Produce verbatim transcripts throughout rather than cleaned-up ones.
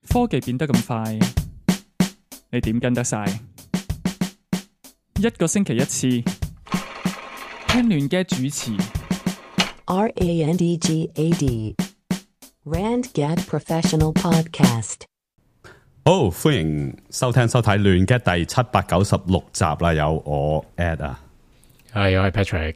科技變得咁快，你點跟得晒？一個星期一次，聽亂嘅主持。R A N D G A D Randgad Professional Podcast。好，歡迎收聽收睇亂嘅第七百九十六集啦，有我 Ed 啊，係我係 Patrick，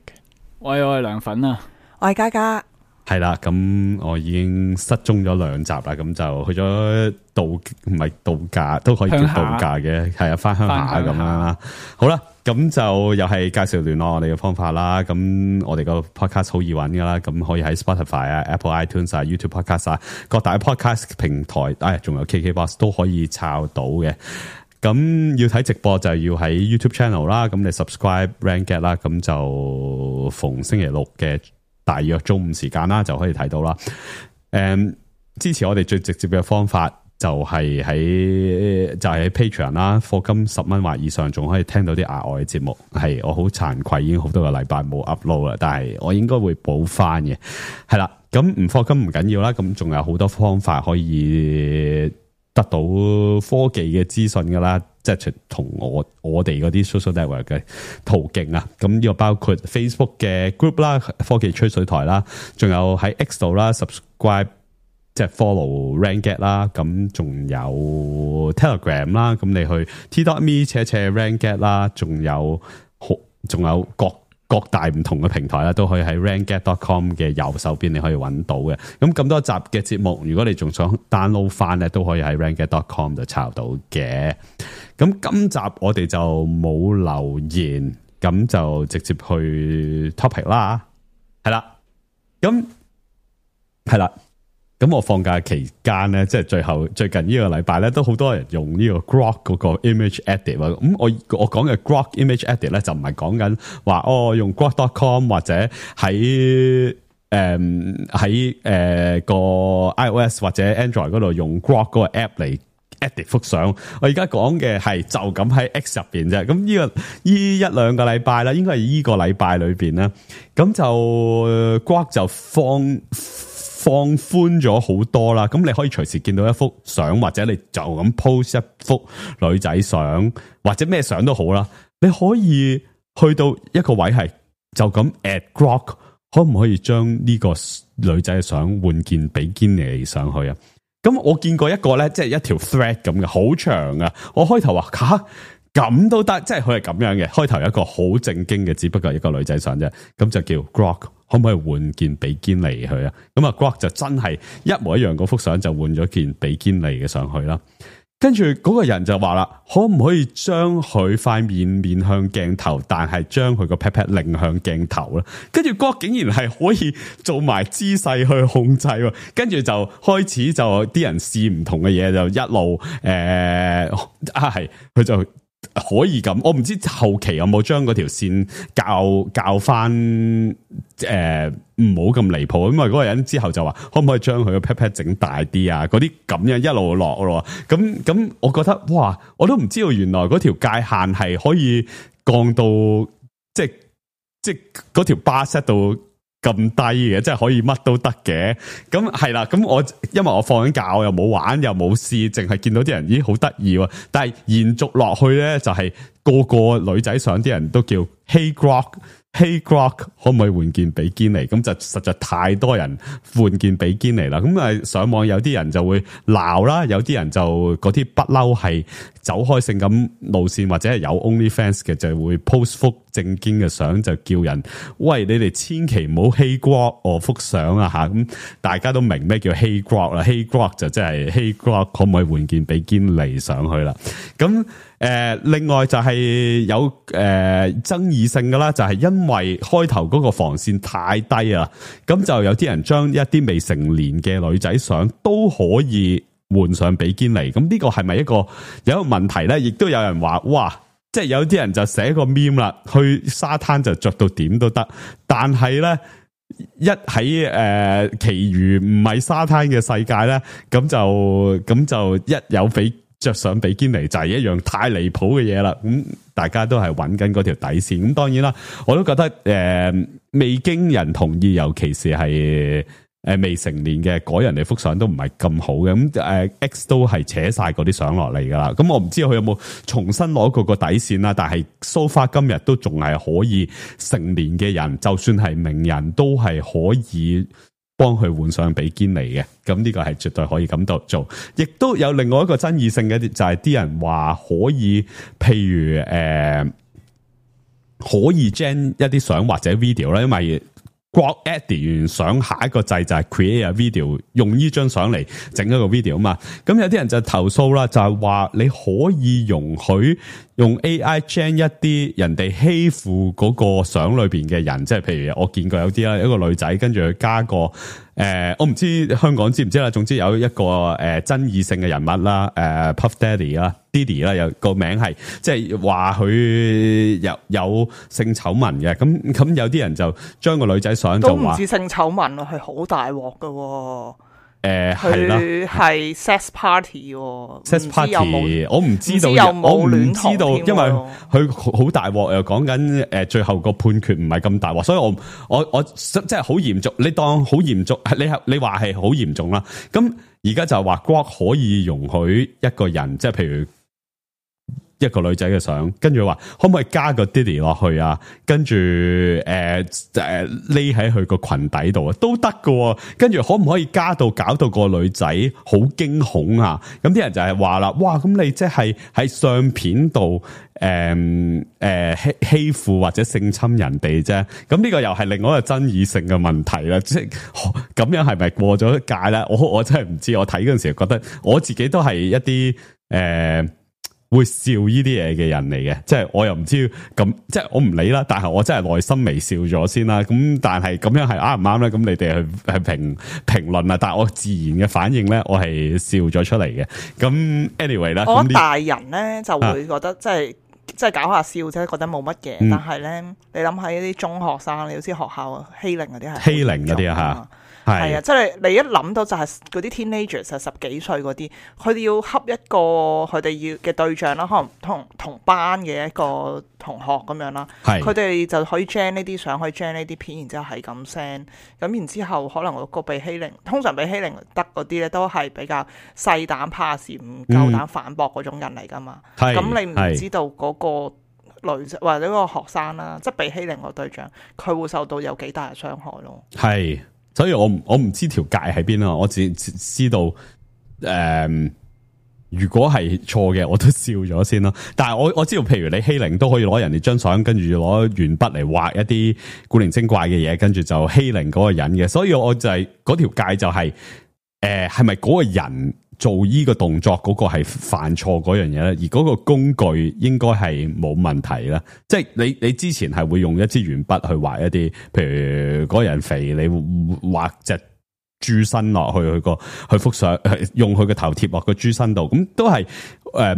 喂，我係涼粉啊，我係嘉嘉，係啦，咁我已經失蹤咗兩集啦，咁就去咗度唔係度假都可以叫度假嘅，係啊，翻鄉下咁樣啦。好啦，咁就又係介紹聯絡我哋嘅方法啦。咁我哋個 podcast 好易揾噶啦，咁可以喺 Spotify 啊、Apple iTunes 啊、YouTube Podcast 啊各大 podcast 平台，唉，仲有 K K Box 都可以抄到嘅。咁要睇直播就要喺 YouTube channel 啦，咁你 subscribe Randgad 啦，咁就逢星期六嘅大約中午時間啦，就可以睇到啦。誒，支持我哋最直接嘅方法就係喺就係喺 Patreon 啦，課金十蚊或以上，仲可以聽到啲額外嘅節目。係我好慚愧，已經好多個禮拜冇 upload 啦，但係我應該會補翻嘅。係啦，咁唔課金唔緊要啦，咁仲有好多方法可以得到科技嘅資訊噶啦，即係同我我哋嗰啲 social network 嘅途徑啊。咁呢個包括 Facebook 嘅 group 啦，科技吹水台啦，仲有喺 X 度啦 subscribe 即係 follow Randgad 啦，咁仲有 Telegram 啦，咁你去 t.me 斜斜 Randgad 啦，仲有好仲有各各大唔同嘅平台啦，都可以喺 randgad dot com 嘅右手邊你可以揾到嘅。咁咁多集嘅節目，如果你仲想 download 翻咧，都可以喺 randgad dot com 度抄到嘅。咁今集我哋就冇留言，咁就直接去 topic 啦。係啦，咁係啦。咁我放假期間咧，即係最後最近呢個禮拜咧，都好多人用呢個 Grok 嗰個 image edit 啊。咁我我講嘅 Grok image edit 咧，就唔係講緊話哦用 grok dot com 或者喺誒喺誒個 iOS 或者 Android 嗰度用 Grok 嗰個 app 嚟 edit 幅相。我而家講嘅係就咁喺 X 入邊啫。咁呢、這個呢一兩個禮拜啦，應該係呢個禮拜裏邊啦。咁就 Grok 就放。放寬咗好多啦，咁你可以隨時見到一幅相，或者你就咁 post 一幅女仔相，或者咩相都好啦。你可以去到一個位係就咁 at Grok， 可唔可以將呢個女仔嘅相換件比堅尼上去啊？咁我見過一個咧，即係一條 thread 咁嘅，好長啊！我開頭話吓咁都得，即係佢係咁樣嘅。開頭有一個好正經嘅，只不過一個女仔相啫，咁就叫 Grok。可唔可以換件比堅尼去啊？咁啊 Grok 就真係一模一樣嗰幅相就換咗件比堅尼嘅上去啦。跟住嗰個人就話啦，可唔可以將佢塊面面向鏡頭，但係將佢個 pat pat 擰向鏡頭咧？跟住 Grok 竟然係可以做埋姿勢去控制，跟住就開始就啲人試唔同嘅嘢，就一路誒、呃、啊係佢就。可以咁，我唔知後期有冇將嗰條線校校翻誒，唔好咁離譜。因為嗰個人之後就話，可唔可以將佢個 pat pat 整大啲啊？嗰啲咁樣一路落咯。咁咁，我覺得哇，我都唔知道原來嗰條界限係可以降到即係即係嗰條 bar set 到咁低嘅，即係可以乜都得嘅。咁係啦，咁我因為我放緊假，我又冇玩又冇試，淨係見到啲人咦好得意喎。但係延續落去咧，就係、是、個個女仔上啲人都叫 Hey Grok。Hey Grok 可唔可以換件比堅尼？咁就實在太多人換件比堅尼啦。咁啊上網有啲人就會鬧啦，有啲人就嗰啲不嬲係走開性感路線或者係有 OnlyFans 嘅，就會 post 幅正經嘅相，就叫人喂，你哋千祈唔好 Hey Grok 我幅相啊吓。咁大家都明咩叫 Hey Grok 啦 ，Hey Grok 就即係 Hey Grok 可唔可以換件比堅尼上去啦？咁誒、呃，另外就係有誒、呃、爭議性嘅啦，就係、是、因為開頭嗰個防線太低啊，咁就有啲人將一啲未成年嘅女仔相都可以換上比堅尼，咁呢個係咪一個有一個問題咧？亦都有人話，哇，即係有啲人就寫個 meme 啦，去沙灘就着到點都得，但係咧一喺誒、呃、其餘唔係沙灘嘅世界咧，咁就咁就一有比。着上比堅尼就係一樣太離譜嘅嘢啦，咁大家都係揾緊嗰條底線。咁當然啦，我都覺得誒、呃、未經人同意，尤其是係誒未成年嘅改人哋幅相都唔係咁好嘅，咁誒 X 都係扯晒嗰啲相落嚟噶啦。咁我唔知佢有冇重新攞過個底線啦，但係 so far 今日都仲係可以成年嘅人，就算係名人都係可以幫佢換上比堅尼嘅。咁呢個係絕對可以咁度做。亦都有另外一個爭議性嘅，就係啲人話可以，譬如誒、呃、可以 gen 一啲相或者 video 啦，因為Grok edit 完相，下一個掣就係 create a video， 用呢張相嚟整一個 video 啊嘛。咁有啲人就投訴啦，就係話你可以容許用 A I gen 一啲人哋欺負嗰個相裏邊嘅人，即係譬如我見過有啲啦，一個女仔跟住佢加個誒、呃，我唔知香港知唔知啦。總之有一個誒、呃、爭議性嘅人物啦，誒、呃、Puff Daddy 啦 ，Diddy 啦，有個名係即係話佢有有性醜聞嘅。咁咁有啲人就將個女仔相就話都唔知性醜聞啊，係好大鑊噶。誒，係啦，佢係 sex party，sex party，我唔知道，我唔知道，因為佢好大鑊，又講緊誒，最後個判決唔係咁大鑊，所以我我我即係好嚴重，你當好嚴重，你係你話係好嚴重啦。咁而家就話 Grok 可以容許一個人，即係譬如一個女仔嘅相，跟住話可唔可以加個 Diddy 落去啊？跟住誒誒匿喺佢個裙底度啊，都得㗎。跟住可唔可以加到搞到個女仔好驚恐啊？咁啲人就係話啦，哇！咁你即係喺相片度誒誒欺欺負或者性侵人哋啫？咁呢個又係另外一個爭議性嘅問題啦。即係咁樣係咪過咗界咧？我我真係唔知。我睇嗰陣時覺得我自己都係一啲誒。呃會笑呢啲嘢嘅人嚟嘅，即係我又唔知咁，即係我唔理啦。但係我真係內心微笑咗先啦。咁但係咁樣係啱唔啱咧？咁你哋去去評評論啊。但係我自然嘅反應咧，我係笑咗出嚟嘅。咁 anyway 啦，我覺得大人咧就會覺得、啊、即係即係搞下笑啫，覺得冇乜嘢。嗯、但係咧，你諗下呢啲中學生，你好似學校欺凌嗰啲係欺凌嗰啲啊吓。係啊，即係你一諗到就係嗰啲 teenagers 係十幾歲嗰啲，佢哋要恰一個佢哋要嘅對象啦，可能同同班嘅一個同學咁樣啦，佢哋就可以 gen 呢啲相，可以 gen 呢啲片，然之後係咁 send，咁然之後可能個被欺凌，通常被欺凌得嗰啲咧都係比較細膽怕事，唔夠膽反駁嗰種人嚟噶嘛，咁、嗯、你唔知道嗰個女仔或者嗰個學生啦，即係被欺凌個對象，佢會受到有幾大嘅傷害咯。係。所以我我唔知條界喺邊啦，我只知道誒、呃，如果係錯嘅，我都笑咗先啦。但係我我知道，譬如你欺凌都可以攞人哋張相，跟住攞鉛筆嚟畫一啲古靈精怪嘅嘢，跟住就欺凌嗰個人嘅。所以我就係、是、嗰條界就係、是、誒，係咪嗰個人做呢個動作嗰個係犯錯嗰樣嘢咧？而嗰個工具應該係冇問題啦。即係你你之前係會用一支鉛筆去畫一啲，譬如嗰個人肥，你畫隻豬身落去佢個去幅相，用佢個頭貼落個豬身度，咁都係誒。呃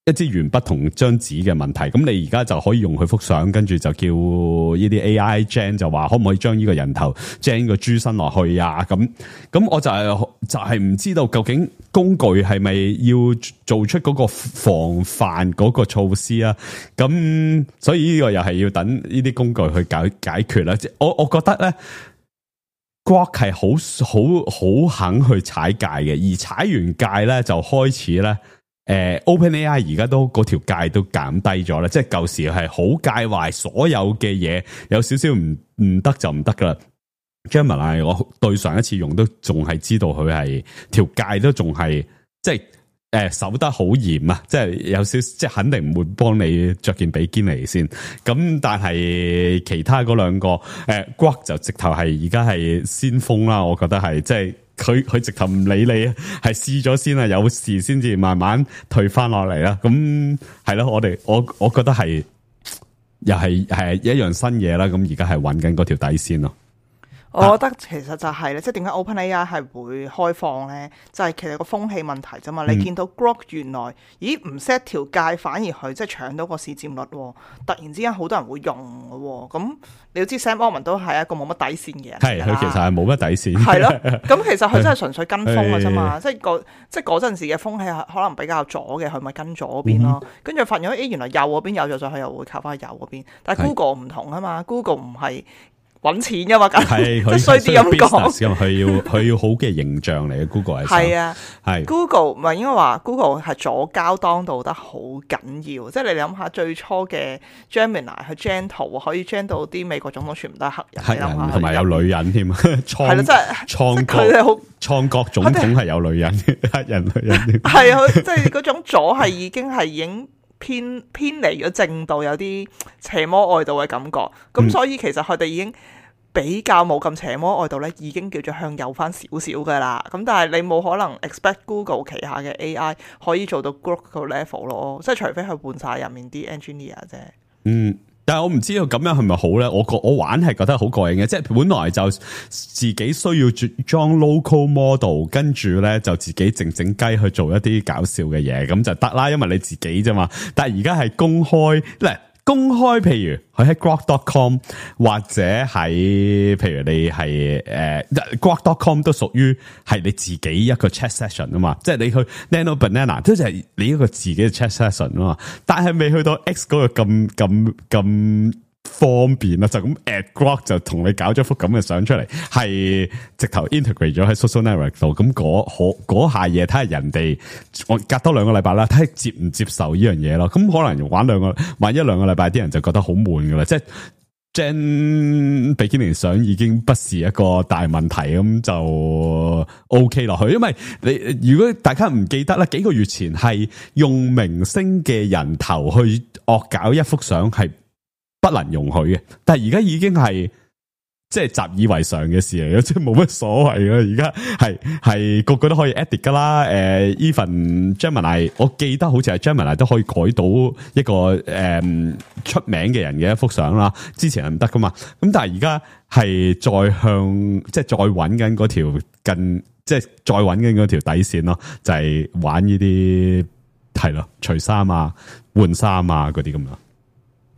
一支鉛筆同張紙嘅問題，咁你而家就可以用佢幅相，跟住就叫呢啲 A I gen 就話可唔可以將呢個人頭 gen 個豬身落去啊？咁咁我就係、是、就係、是、唔知道究竟工具係咪要做出嗰個防範嗰個措施啊？咁所以呢個又係要等呢啲工具去解解決啦。我我覺得咧 Grok 係好好好肯去踩界嘅，而踩完界咧就開始咧。誒、呃、OpenAI 而家都嗰條界都減低咗啦，即係舊時係好介懷所有嘅嘢，有少少唔唔得就唔得噶啦。Gemini 我對上一次用都仲係知道佢係條界都仲係即係誒、呃、守得好嚴啊，即係有少即係肯定唔會幫你着件比堅尼先。咁但係其他嗰兩個誒 Grok 就直頭係而家係先鋒啦，我覺得係即係。佢佢直頭唔理你啊，係試咗先啊，有事先至慢慢退翻落嚟啦。咁係咯，我哋我我覺得係又係係一樣新嘢啦。咁而家係揾緊嗰條底線咯。我覺得其實就係、是、咧，即係點解 OpenAI 係會開放咧？就係、是、其實個風氣問題啫嘛。嗯、你見到 Grok 原來咦唔 set 條界，反而佢即係搶到個市佔率，突然之間好多人會用嘅。咁你要知 Sam Altman 都係一個冇乜底線嘅人，係佢其實係冇乜底線。係咯，咁其實佢真係純粹跟風嘅啫嘛。即係嗰即係嗰陣時嘅風氣可能比較左嘅，佢咪跟左邊咯。跟、嗯、住發現誒原來右嗰邊有咗，所以佢又會靠翻去右嗰邊。但係 Google 唔同啊嘛，Google 唔係。搵錢噶嘛，係佢衰啲咁講，佢要佢要好嘅形象嚟嘅 Google 係。係啊，係 Google 唔係應該話 Google 係左膠當道得好緊要，即係你諗下最初嘅 Gemini 去 gen 圖可以 gen 到啲美國總統全部都係黑人，黑人同埋有女人添，係啦，即係創佢哋好創國總統係有女人黑人女人，係啊，即係嗰種左係已經係已經。偏偏離咗正道，有啲邪魔外道嘅感覺，咁、嗯、所以其實佢哋已經比較冇咁邪魔外道咧，已經叫做向右翻少少噶啦。咁但係你冇可能 expect Google 旗下嘅 A I 可以做到 Grok 個 level 咯，即係除非佢換晒入面啲 engineer 啫。嗯。但係我唔知道咁樣係咪好咧？我覺我玩係覺得好過癮嘅，即係本來就自己需要裝 local model， 跟住咧就自己靜靜雞去做一啲搞笑嘅嘢，咁就得啦，因為你自己啫嘛。但係而家係公開咧。公開，譬如佢喺 grok dot com 或者喺，譬如你係誒、呃、grok dot com 都屬於係你自己一個 chat session 啊嘛，即係你去 Nano Banana 都係你一個自己嘅 chat session 啊嘛，但係未去到 X 嗰個咁咁咁方便啦，就咁 at grok 就同你搞咗幅咁嘅相出嚟，係直頭 integrate 咗喺 social network 度，咁嗰嗰下嘢睇下人哋，我隔多兩個禮拜啦，睇下接唔接受呢樣嘢咯。咁可能玩兩個，玩一兩個禮拜，啲人就覺得好悶噶啦，即係 Gen 比基尼相已經不是一個大問題，咁就 OK 落去。因為你如果大家唔記得啦，幾個月前係用明星嘅人頭去惡搞一幅相係不能容許嘅，但係而家已經係即係習以為常嘅事嚟嘅，即係冇乜所謂啦。而家係係個個都可以 edit 噶啦。誒、呃、，even Gemini， 我記得好似係 Gemini 都可以改到一個誒、嗯、出名嘅人嘅一幅相啦。之前係唔得噶嘛，咁但係而家係再向即係再揾緊嗰條近，即係再揾緊嗰條底線咯，就係、是、玩呢啲係咯，除衫啊、換衫啊嗰啲咁樣。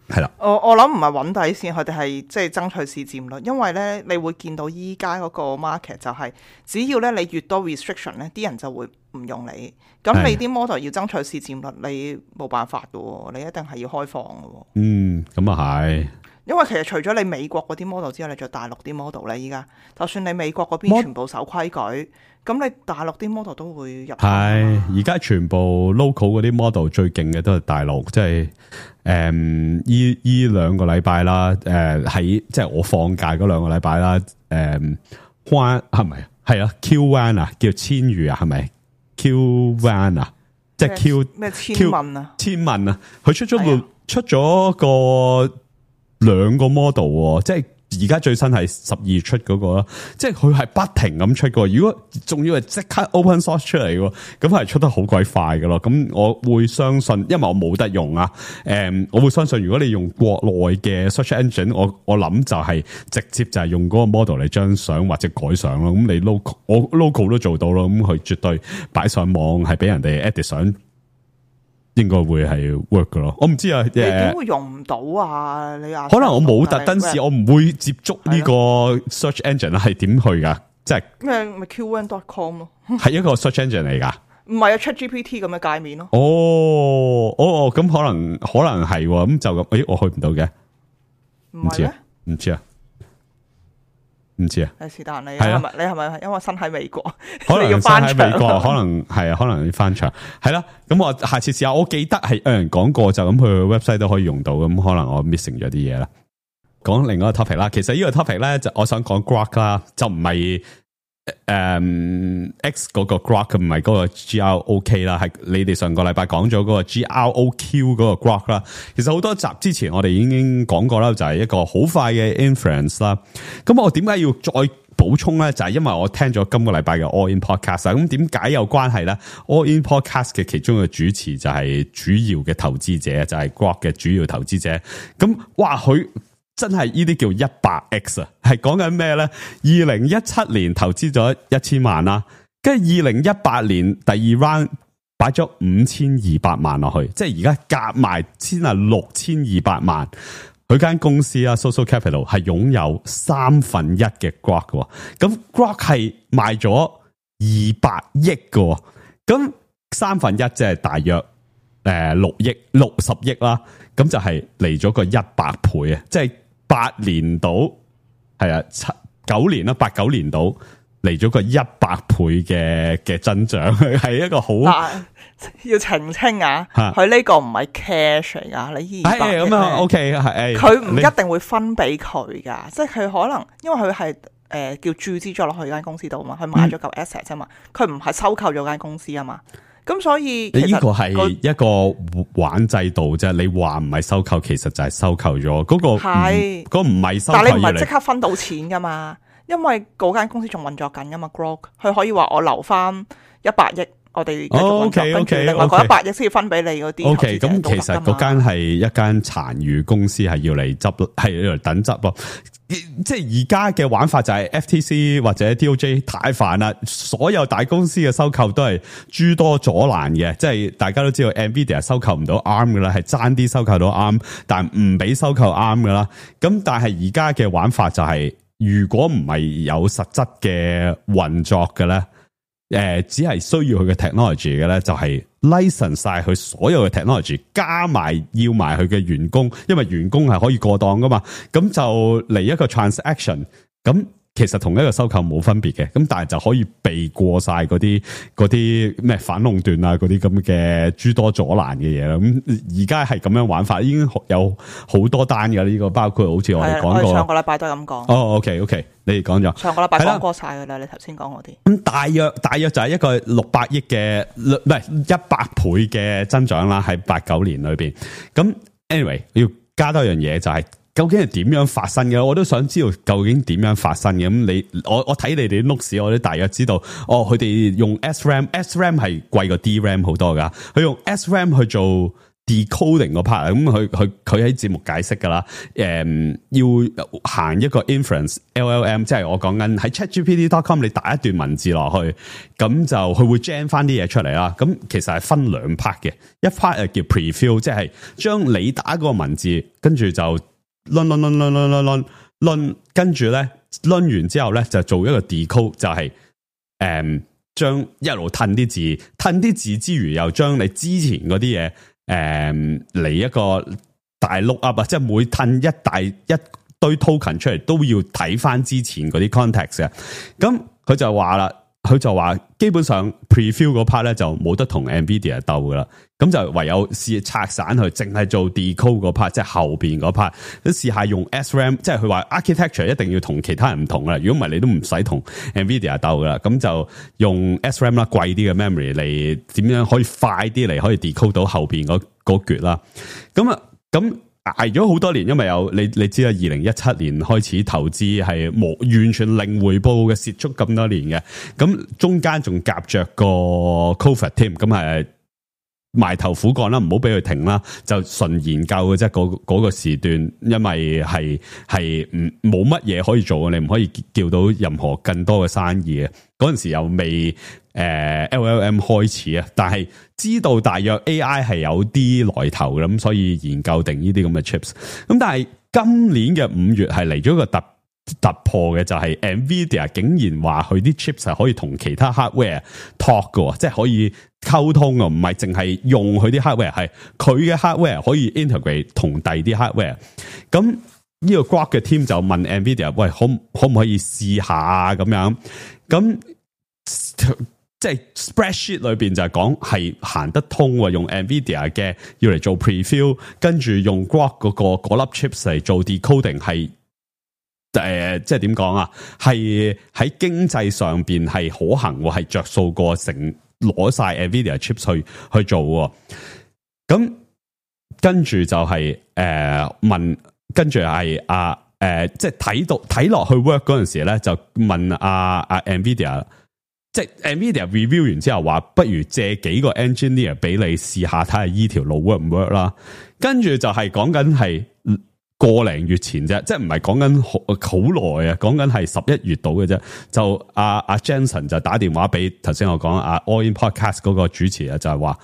係啦，我我諗唔係揾底線，佢哋係即係爭取市佔率，因為咧你會見到依家嗰個 market 就係、是、只要咧你越多 restriction 咧，啲人就會唔用你。咁你啲 model 要爭取市佔率，你冇辦法噶，你一定係要開放噶。嗯，咁啊係。因為其實除咗你美國嗰啲 model 之外，你仲有大陸啲 model 咧。依家就算你美國嗰邊全部守規矩，咁你大陸啲 model 都會入。係而家全部 local 嗰啲 model 最勁嘅都係大陸，即係誒依依兩個禮拜啦。誒喺即係我放假嗰兩個禮拜啦。誒關係咪係啊 ？Q one 啊，叫千羽啊，係咪 ？Q one 啊，即係 Q 咩千問啊？千問啊，佢出咗個、哎、出咗個。兩個 model， 即係而家最新係十二出嗰個啦，即係佢係不停咁出個。如果仲要係即刻 open source 出嚟嘅，咁係出得好鬼快嘅咯。咁我會相信，因為我冇得用啊。誒，我會相信，如果你用國內嘅 search engine，我我諗就係直接就係用嗰個 model 嚟將相或者改相咯。咁你 local 我 local 都做到咯。咁佢絕對擺上網係俾人哋 edit 相。應該會係 work 噶咯，我唔知啊。你點會用唔到啊？你啊，可能我冇特登試，我唔會接觸呢個 search engine 係點去噶？即係咩？咪 Q one dot com 咯，係一個 search engine 嚟噶。唔係啊 ，ChatGPT 咁嘅界面咯。哦，哦，咁可能可能係咁就咁。誒，我去唔到嘅，唔知啊，唔知啊。唔知啊，是但你係咪？你係咪因為身喺美國？可能要翻喺美國，可能係啊，可能要翻牆。係啦，咁我下次試下。我記得係有人講過，就咁去 website 都可以用到。咁可能我 missing 咗啲嘢啦。講另外一個 topic 啦，其實呢個 topic 咧就我想講 Grok 啦，就唔係誒 X 嗰個 Grok， 唔係嗰個 G R O K 啦，係你哋上個禮拜講咗嗰個 G R O Q 嗰個 Grok 啦。其實好多集之前我哋已經講過啦，就係一個好快嘅 inference 啦。咁我點解要再補充咧？就係因為我聽咗今個禮拜嘅 All In Podcast。咁點解有關係咧 ？All In Podcast 嘅其中嘅主持就係主要嘅投資者，就係 Grok 嘅主要投資者。咁哇，佢真係呢啲叫一百 X 啊！係講緊咩咧？二零一七年投資咗一千萬啦，跟住二零一八年第二 round 擺咗五千二百萬落去，即係而家夾埋先係六千二百萬。佢間公司啊 ，Social Capital 係擁有三分一嘅 Grok 嘅，咁 Grok 係賣咗二百億嘅，咁三分一即係大約誒六億六十億啦，咁就係嚟咗個一百倍啊！即係八年度係啊，七九年啦，八九年度嚟咗個一百倍嘅嘅增長，係一個好。要澄清啊，佢呢個唔係 cash 嚟噶，你二百億咁啊 OK 係，佢唔一定會分俾佢噶，即係佢可能因為佢係誒叫注資咗落去間公司度嘛，佢買咗嚿 asset 啫嘛，佢唔係收購咗間公司啊嘛，咁所以其實呢個係一個玩制度啫，你話唔係收購，其實就係收購咗嗰個係，嗰個唔係收購，但係你唔係即刻分到錢噶嘛，因為嗰間公司仲運作緊噶嘛 ，Grok 佢可以話我留翻一百億。我哋繼續運作，跟住另外嗰一百億先要分俾你嗰啲。O K， 咁其實嗰間係一間殘餘公司，係要嚟執，係要嚟等執咯。即係而家嘅玩法就係 F T C 或者 D O J 太煩啦，所有大公司嘅收購都係諸多阻攔嘅。即係大家都知道 Nvidia 收購唔到 A R M 噶啦，係爭啲收購到 A R M， 但唔俾收購 A R M 噶啦。咁但係而家嘅玩法就係、是，如果唔係有實質嘅運作嘅咧。誒、呃，只係需要佢嘅 technology 嘅咧，就係 license 晒佢所有嘅 technology， 加埋要埋佢嘅員工，因為員工係可以過檔噶嘛，咁就嚟一個 transaction， 咁其實同一個收購冇分別嘅，咁但係就可以避過晒嗰啲嗰啲咩反壟斷啊，嗰啲咁嘅諸多阻攔嘅嘢啦。咁而家係咁樣玩法，已經有好多單嘅呢個，包括好似我哋講過，上個禮拜都係咁講。哦 ，OK OK，你哋講咗上個禮拜講過晒噶啦，你頭先講嗰啲。咁大約大約就係一個六百億嘅，唔係一百倍嘅增長啦，喺八九年裏邊。咁 anyway 要加多樣嘢就係、是。究竟係點樣發生嘅？我都想知道究竟點樣發生嘅。咁你我我睇你哋啲 notes，我都大約知道。哦，佢哋用 S RAM，S RAM 係貴過 D RAM 好多噶。佢用 S RAM 去做 decoding 個 part，咁佢佢佢喺節目解釋噶啦。誒、嗯，要行一個 inference L L M， 即係我講緊喺 ChatGPT dot com 你打一段文字落去，咁就佢會 gen 翻啲嘢出嚟啦。咁其實係分兩 part 嘅，一 part 係叫 preview， 即係將你打個文字，跟住就論論論論論論論論，跟住咧論完之後咧就做一個 decode， 就係誒將一路褪啲字，褪啲字之餘又將你之前嗰啲嘢誒嚟一個大 look up 啊，即係每褪一大一堆 token 出嚟都要睇翻之前嗰啲 context 嘅。咁佢就話啦，佢就話基本上 preview 嗰 part 咧就冇得同 Nvidia 鬥噶啦。咁就唯有試拆散佢，淨係做 decode 嗰 part， 即係後邊嗰 part。都試下用 S RAM， 即係佢話 architecture 一定要同其他人唔同啦。如果唔係，你都唔使同 Nvidia 鬥噶啦。咁就用 S RAM 啦，貴啲嘅 memory 嚟點樣可以快啲嚟可以 decode 到後邊嗰嗰橛啦。咁啊，咁捱咗好多年，因為有你你知啦，二零一七年開始投資係冇完全零回報嘅，蝕足咁多年嘅。咁中間仲夾着個 COVID 添，咁係。埋頭苦幹啦，唔好俾佢停啦，就純研究嘅啫。嗰、嗰個時段，因為係係唔冇乜嘢可以做，你唔可以叫到任何更多嘅生意嘅。嗰陣時又未誒、呃、L L M 開始啊，但係知道大約 A I 係有啲來頭嘅，咁所以研究定呢啲咁嘅 chips。咁但係今年嘅五月係嚟咗個突突破嘅，就係 Nvidia 竟然話佢啲 chips 係可以同其他 hardware talk 嘅，即係可以溝通啊，唔係淨係用佢啲 hardware， 係佢嘅 hardware 可以 integrate 同第二啲 hardware。咁呢個 Grok 嘅 team 就問 Nvidia， 喂，可可唔可以試下啊？咁樣，咁即係 spreadsheet 裏邊就係講係行得通，用 Nvidia 嘅要嚟做 preview， 跟住用 Grok 嗰個嗰粒 chips 嚟做 decoding 係。誒、呃，即係點講啊？係喺經濟上邊係可行，係着數過成攞晒 Nvidia chips 去去做。咁跟住就係、是、誒、呃、問，跟住係啊誒，即係睇到睇落去 work 嗰陣時咧，就問阿、啊、阿、啊、Nvidia， 即係 Nvidia review 完之後話，不如借幾個 engineer 俾你試下睇下依條路 work 唔 work 啦。跟住就係講緊係。個零月前啫，即係唔係講緊好好耐啊，講緊係十一月度嘅啫。就阿阿、啊啊、Jensen 就打電話俾頭先我講阿 All In Podcast 嗰個主持啊，就係話，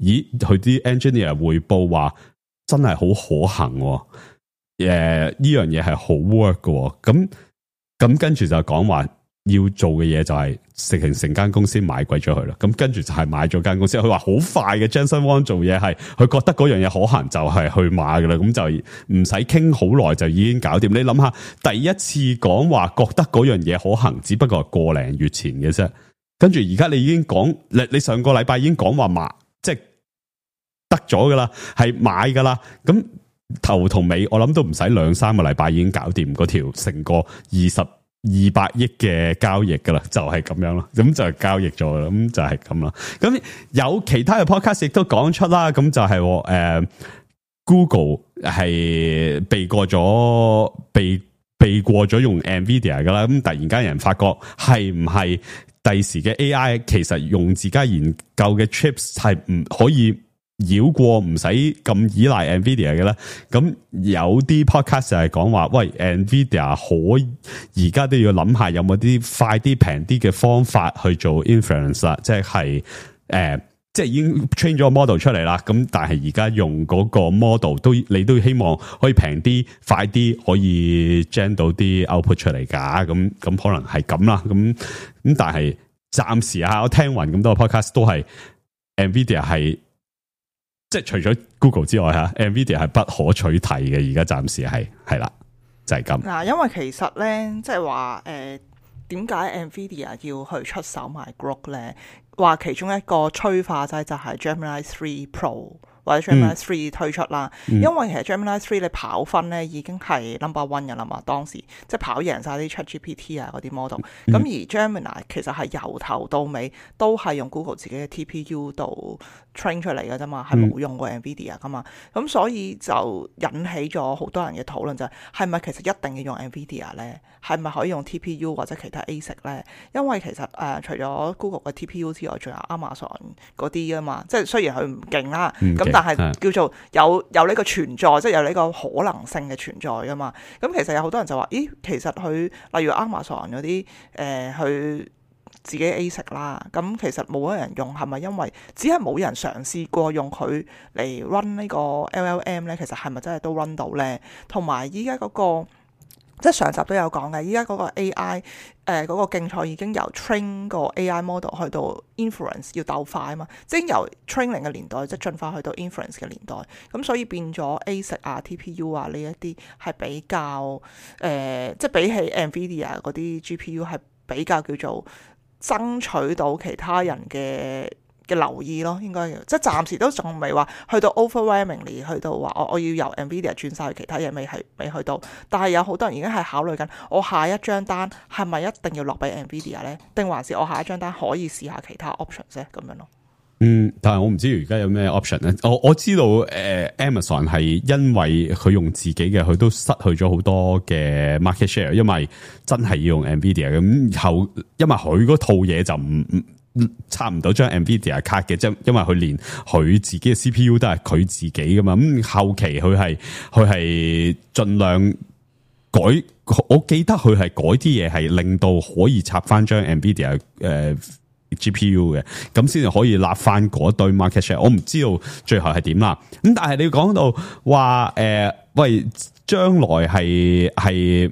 咦，佢啲 engineer 匯報話真係好可行，誒呢樣嘢係好 work 嘅。咁咁跟住就講話要做嘅嘢就係成成間公司買貴咗佢啦，咁跟住就係買咗間公司。佢話好快嘅 Jensen Huang 做嘢係，佢覺得嗰樣嘢可行就係去買噶啦，咁就唔使傾好耐就已經搞掂。你諗下，第一次講話覺得嗰樣嘢可行，只不過係個零月前嘅啫，跟住而家你已經講，你你上個禮拜已經講話買，即係得咗噶啦，係買噶啦，咁頭同尾我諗都唔使兩三個禮拜已經搞掂嗰條成個二十。二百億嘅交易噶啦，就係、是、咁樣咯，咁就係交易咗啦，咁就係咁啦。咁有其他嘅 podcast 亦都講出啦，咁就係、是、誒、呃、Google 係避過咗避避過咗用 Nvidia 噶啦，咁突然間有人發覺係唔係第時嘅 A I 其實用自家研究嘅 chips 係唔可以繞過唔使咁依賴 Nvidia 嘅咧，咁有啲 podcast 就係講話，喂 Nvidia 可而家都要諗下有冇啲快啲平啲嘅方法去做 inference 啦，即係誒、呃，即係已經 train 咗個 model 出嚟啦，咁但係而家用嗰個 model 都你都希望可以平啲、快啲，可以 gen 到啲 output 出嚟噶，咁咁可能係咁啦，咁咁但係暫時啊，我聽聞咁多個 podcast 都係 Nvidia 係。即係除咗 Google 之外吓 Nvidia 係不可取替嘅，而家暫時係係啦，就係咁。嗱，因為其實咧，即係話誒，點解 Nvidia 要去出手買 Grok 咧？話其中一個催化劑就係 Gemini three Pro 或者 Gemini three 推出啦，嗯、因為其實 Gemini three 你跑分咧已經係 number one 嘅啦嘛，當時即係跑贏晒啲 ChatGPT 啊嗰啲 model。咁、嗯、而 Gemini 其實係由頭到尾都係用 Google 自己嘅 T P U 度 train 出嚟嘅啫嘛，係冇用過 Nvidia 噶嘛。咁、嗯、所以就引起咗好多人嘅討論，就係係咪其實一定要用 Nvidia 咧？係咪可以用 T P U 或者其他 A S I C 咧？因為其實誒、呃、除咗 Google 嘅 T P U 之外，仲有 Amazon 嗰啲啊嘛。即係雖然佢唔勁啦，咁、嗯、但係叫做有有呢個存在，即係有呢個可能性嘅存在噶嘛。咁其實有好多人就話：咦，其實佢例如 Amazon 嗰啲誒，佢自己 A S I C 啦，咁其實冇乜人用，係咪因為只係冇人嘗試過用佢嚟 run 呢個 L L M 咧？其實係咪真係都 run 到咧？同埋依家嗰個。即係上集都有講嘅，依家嗰個 A I 誒、呃、嗰、嗰個競賽已經由 train 個 A I model 去到 inference 要鬥快啊嘛，即係由 training 嘅年代即係進化去到 inference 嘅年代，咁所以變咗 A S I C 啊、T P U 啊呢一啲係比較誒、呃，即係比起 Nvidia 嗰啲 G P U 係比較叫做爭取到其他人嘅嘅留意咯，應該即係暫時都仲未話去到 overwhelmingly 去到話我我要由 Nvidia 轉晒去其他嘢，未係未去到，但係有好多人已經係考慮緊，我下一張單係咪一定要落俾 Nvidia 咧？定還是我下一張單可以試下其他 option 啫？咁樣咯。嗯，但係我唔知而家有咩 option 咧。我我知道誒、呃、Amazon 係因為佢用自己嘅，佢都失去咗好多嘅 market share，因為真係要用 Nvidia 咁後，因為佢嗰套嘢就唔唔。差唔多張 Nvidia 卡嘅，即係因為佢連佢自己嘅 C P U 都係佢自己噶嘛，咁後期佢係佢係盡量改，我記得佢係改啲嘢係令到可以插翻張 Nvidia 誒、呃、G P U 嘅，咁先至可以立翻嗰堆 market share。我唔知道最後係點啦，咁但係你講到話誒、呃，喂，將來係係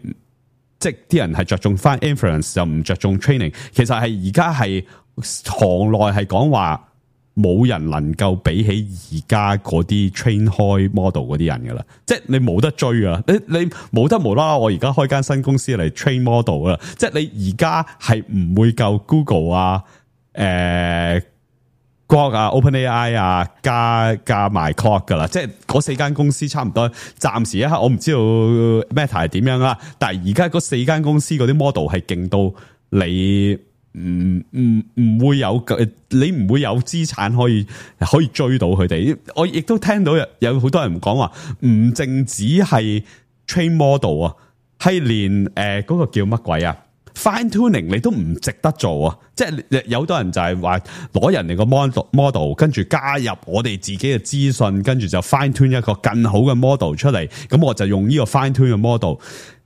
即係啲人係着重翻 inference 就唔着重 training， 其實係而家係。行內係講話冇人能夠比起而家嗰啲 train 開 model 嗰啲人噶啦，即係你冇得追啊！你你冇得無啦啦，我而家開間新公司嚟 train model 啦，即係你而家係唔會夠 Google 啊、誒 Grok 啊、OpenAI 啊加加埋 Claude 噶啦，即係嗰四間公司差唔多。暫時一刻我唔知道 Meta 係點樣啦，但係而家嗰四間公司嗰啲 model 係勁到你。唔唔唔會有，你唔會有資產可以可以追到佢哋。我亦都聽到有有好多人講話，唔淨止係 train model 啊，係連誒嗰、呃嗰個叫乜鬼啊 fine tuning 你都唔值得做啊！即係有好多人就係話攞人哋個 model model， 跟住加入我哋自己嘅資訊，跟住就 fine tune 一個更好嘅 model 出嚟。咁我就用呢個 fine tune 嘅 model。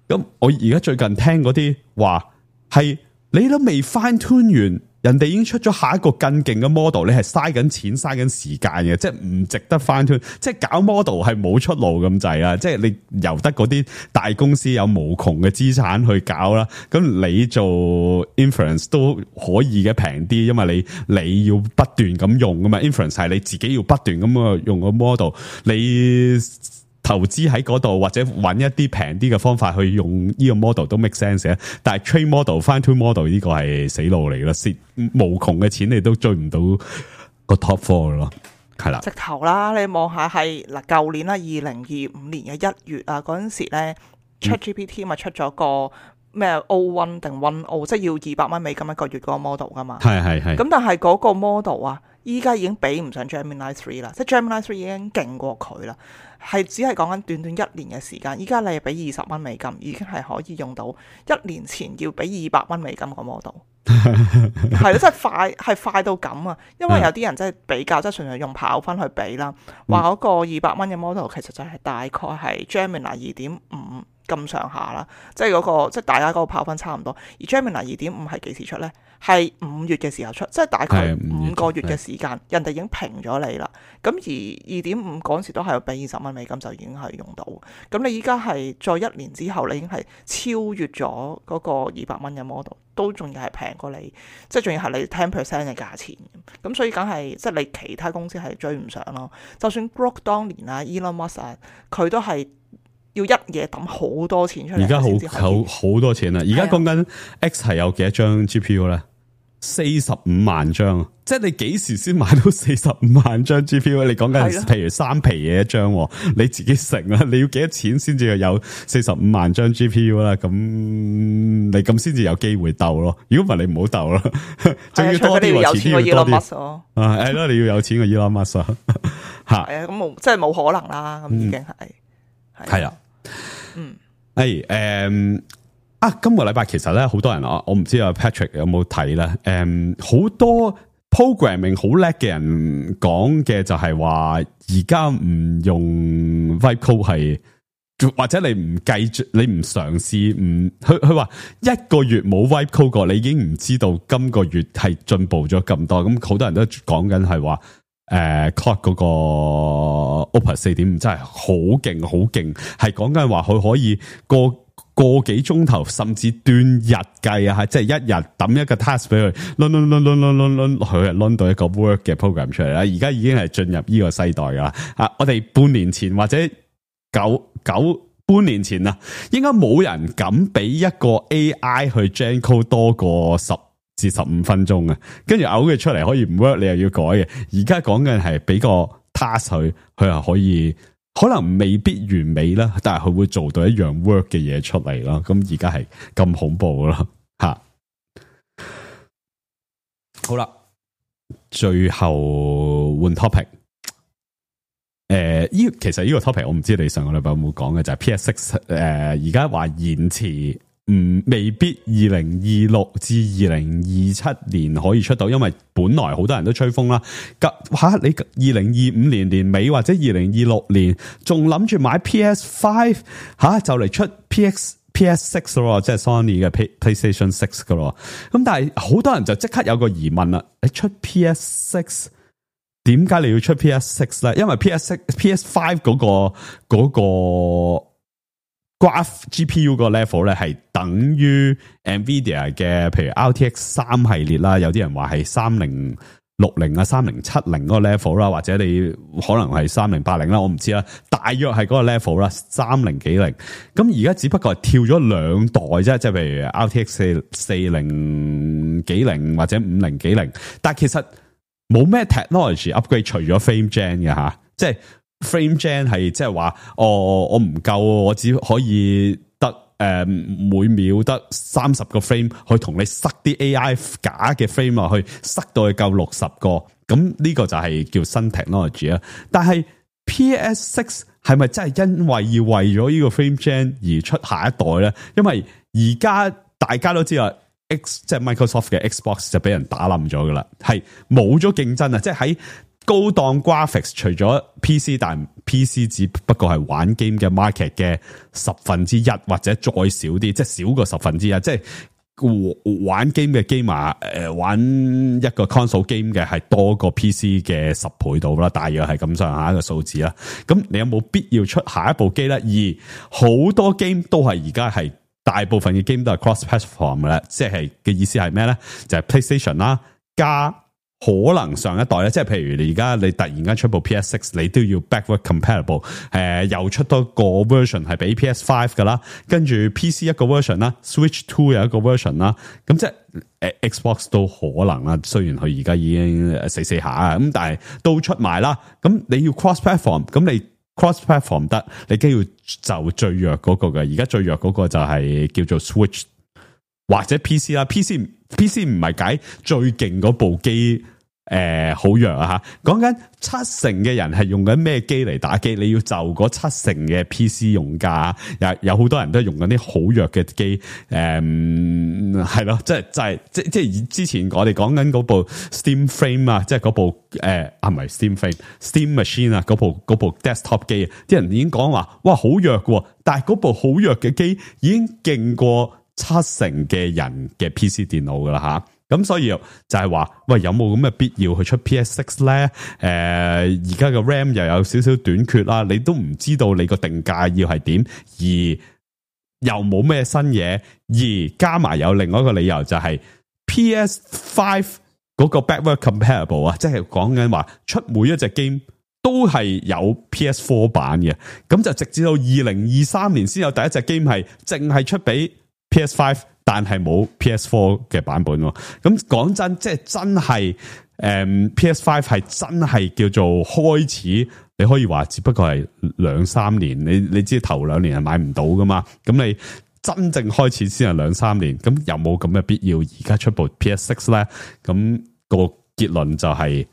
咁我而家最近聽嗰啲話係。你都未 fine tune 完人哋已經出咗下一個更勁嘅 model， 你係嘥緊錢嘥緊時間嘅，即係唔值得翻去，即係搞 model 係冇出路咁滯啊！即係你由得嗰啲大公司有無窮嘅資產去搞啦，咁你做 inference 都可以嘅平啲，因為你你要不斷咁用噶嘛 ，inference 係你自己要不斷咁啊用個 model， 你投資喺嗰度或者揾一啲平啲嘅方法去用呢個 model 都 make sense 嘅，但係 train model 翻 to model 呢個係死路嚟啦，蝕無窮嘅錢你都追唔到個 top four 咯，係啦。直頭啦，你望下係嗱，舊年啦，二零二五年嘅一月啊，嗰陣時咧 ChatGPT 咪出咗個咩 O 一 定 one O， 即係要二百蚊美金一個月嗰個 model 噶嘛。係係係。咁但係嗰個 model 啊，依家已經比唔上 Gemini three 啦，即係 Gemini three 已經勁過佢啦。係只係講緊短短一年嘅時間，依家你係俾二十蚊美金，已經係可以用到一年前要俾二百蚊美金個 model， 係咯，真係快，係快到咁啊！因為有啲人真係比較，即係純粹用跑分去比啦，話嗰個二百蚊嘅 model 其實就係大概係 Gemini 二點五咁上下啦，即係嗰個即係大家嗰個跑分差唔多。而 Gemini 二點五係幾時出呢？係五月嘅時候出，即係大概五個月嘅時間，人哋已經平咗你啦。咁而二點五嗰陣時都係要俾二十蚊美金就已經係用到。咁你依家係再一年之後，你已經係超越咗嗰個二百蚊嘅 model， 都仲要係平過你，即係仲要係你十 percent 嘅價錢。咁所以梗係即係你其他公司係追唔上咯。就算 Grok 當年啊 ，Elon Musk 啊，佢都係要一嘢抌好多錢出嚟。而家好好好多錢啦！而家講緊 X 係有幾多張 G P U 咧？四十五萬張，即係你幾時先買到四十五萬張 G P U？ 你講緊譬如三皮嘢一張，你自己成啦，你要幾多錢先至有四十五萬張 G P U 啦？咁你咁先至有機會鬥咯。如果唔係，你唔好鬥啦。仲要多啲，有錢過 Elon Musk 咯。啊，係咯，你要有錢過 Elon Musk 啊。吓，係啊，咁冇，即係冇可能啦。咁已經係係啦。嗯，誒，誒。啊，今個禮拜其實咧，好多人啊，我唔知阿 Patrick 有冇睇咧。誒、嗯，好多 programming 好叻嘅人講嘅就係話，而家唔用 Vibe Code 係，或者你唔繼續，你唔嘗試，唔佢佢話一個月冇 Vibe Code 過，你已經唔知道今個月係進步咗咁多。咁好多人都講緊係話，誒、呃、Claude 嗰個 Opus 四點五真係好勁，好勁，係講緊話佢可以過個幾鐘頭，甚至斷日計啊！即係一日抌一個 task 俾佢，輪輪輪輪輪輪輪，佢係輪到一個 work 嘅 program 出嚟啦。而家已經係進入呢個世代噶啦。啊，我哋半年前或者九九半年前啊，應該冇人敢俾一個 A I 去 gen code 多過十至十五分鐘啊。跟住嘔佢出嚟可以唔 work，你又要改嘅。而家講緊係俾個 task 佢，佢係可以。可能未必完美啦，但係佢會做到一樣 work 嘅嘢出嚟啦。咁而家係咁恐怖啦，吓！好啦，最後換 topic。誒、呃，呢其實呢個 topic 我唔知你上個禮拜有冇講嘅，就係、是、P S 六誒，而家話延遲。唔未必二零二六至二零二七年可以出到，因為本來好多人都吹風啦。吓、啊、你二零二五年年尾或者二零二六年仲諗住買 P S 五吓，就嚟出 P X P S 六咯，即係 Sony 嘅 PlayStation 六噶咯。咁但係好多人就即刻有個疑問啦，你出 P S 六，點解你要出 P S 六咧？因為 P S 六 P S 五嗰個嗰個。那個 Graph G P U 個 level 咧係等於 Nvidia 嘅，譬如 R T X 三系列啦，有啲人話係三零六零啊、三零七零嗰個 level 啦，或者你可能係三零八零啦，我唔知啦，大約係嗰個 level 啦，三零幾零。咁而家只不過係跳咗兩代啫，即係譬如 R T X 四四零幾零或者五零幾零，但係其實冇咩 technology upgrade 除咗 frame gen 嘅吓，即係。Frame Gen 係即係話，哦，我唔夠，我只可以得誒、呃、每秒得三十個 frame，去同你塞啲 A I 假嘅 frame 落去，塞到去夠六十個，咁呢個就係叫新 technology 啊。但係 P S 六係咪真係因為要為咗呢個 Frame Gen 而出下一代咧？因為而家大家都知道 X 即係 Microsoft 嘅 Xbox 就俾人打冧咗噶啦，係冇咗競爭啊！即係喺高檔 graphics 除咗 P C， 但 P C 只不過係玩 game 嘅 market 嘅十分之一或者再少啲，即係少過十分之一。即係玩 game 嘅 gamer 誒玩一個 console game 嘅係多過 P C 嘅十倍到啦，大約係咁上下一個數字啦。咁你有冇必要出下一部機咧？而好多 game 都係而家係大部分嘅 game 都係 cross platform 嘅啦，即係嘅意思係咩咧？就係、是、PlayStation 啦加。可能上一代咧，即係譬如你而家你突然間出部 P S 六，你都要 backward compatible，誒、呃、又出多個 version 係俾 P S 五噶啦，跟住 P C 一個 version 啦 ，Switch Two 有一個 version 啦，咁即係誒 Xbox 都可能啦。雖然佢而家已經死死下啊，咁但係都出埋啦。咁你要 cross platform，咁你 cross platform 得，你梗要就最弱嗰個嘅。而家最弱嗰個就係叫做 Switch 或者 P C 啦 ，P C P C 唔係解最勁嗰部機。誒、呃，好弱啊吓！講緊七成嘅人係用緊咩機嚟打機？你要就嗰七成嘅 P C 用家，有有好多人都係用緊啲好弱嘅機。誒、嗯，係咯，即係就係即即係之前我哋講緊嗰部 Steam Frame 啊，即係嗰部誒啊唔係 Steam Frame，Steam Machine 啊，嗰部嗰部 desktop 機，啲人已經講話哇好弱嘅，但係嗰部好弱嘅機已經勁過七成嘅人嘅 P C 電腦噶啦吓。咁所以就係話，喂，有冇咁嘅必要去出 P S 六咧？誒、呃，而家嘅 RAM 又有少少短缺啦，你都唔知道你個定價要係點，而又冇咩新嘢，而加埋有另外一個理由就係 P S 五嗰個 backward compatible 啊，即係講緊話出每一隻 game 都係有 P S 四 版嘅，咁就直至到二零二三年先有第一隻 game 係淨係出俾 P S 五。但係冇 P S 四 嘅版本喎，咁講真，即係真係誒、嗯、P S 五 係真係叫做開始，你可以話只不過係兩三年，你你知頭兩年係買唔到噶嘛，咁你真正開始先係兩三年，咁有冇咁嘅必要而家出部 P S 六咧？咁、個結論就係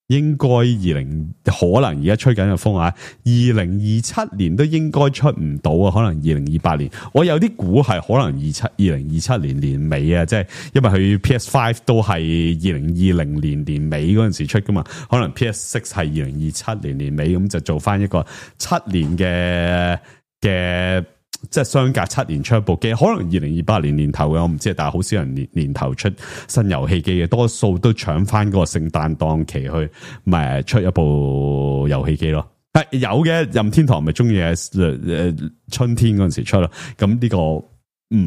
應該二零可能而家吹緊嘅風啊，二零二七年都應該出唔到啊，可能二零二八年，我有啲估係可能二七二零二七年年尾啊，即係因為佢 P S 五 都係二零二零年年尾嗰陣時出噶嘛，可能 P S 六係二零二七年年尾，咁就做翻一個七年嘅嘅。即係相隔七年出一部機，可能二零二八年年頭嘅我唔知，但係好少人年年頭出新遊戲機嘅，多數都搶翻嗰個聖誕檔期去，咪出一部遊戲機咯。係有嘅，任天堂咪中意誒春天嗰陣時出咯。咁呢個唔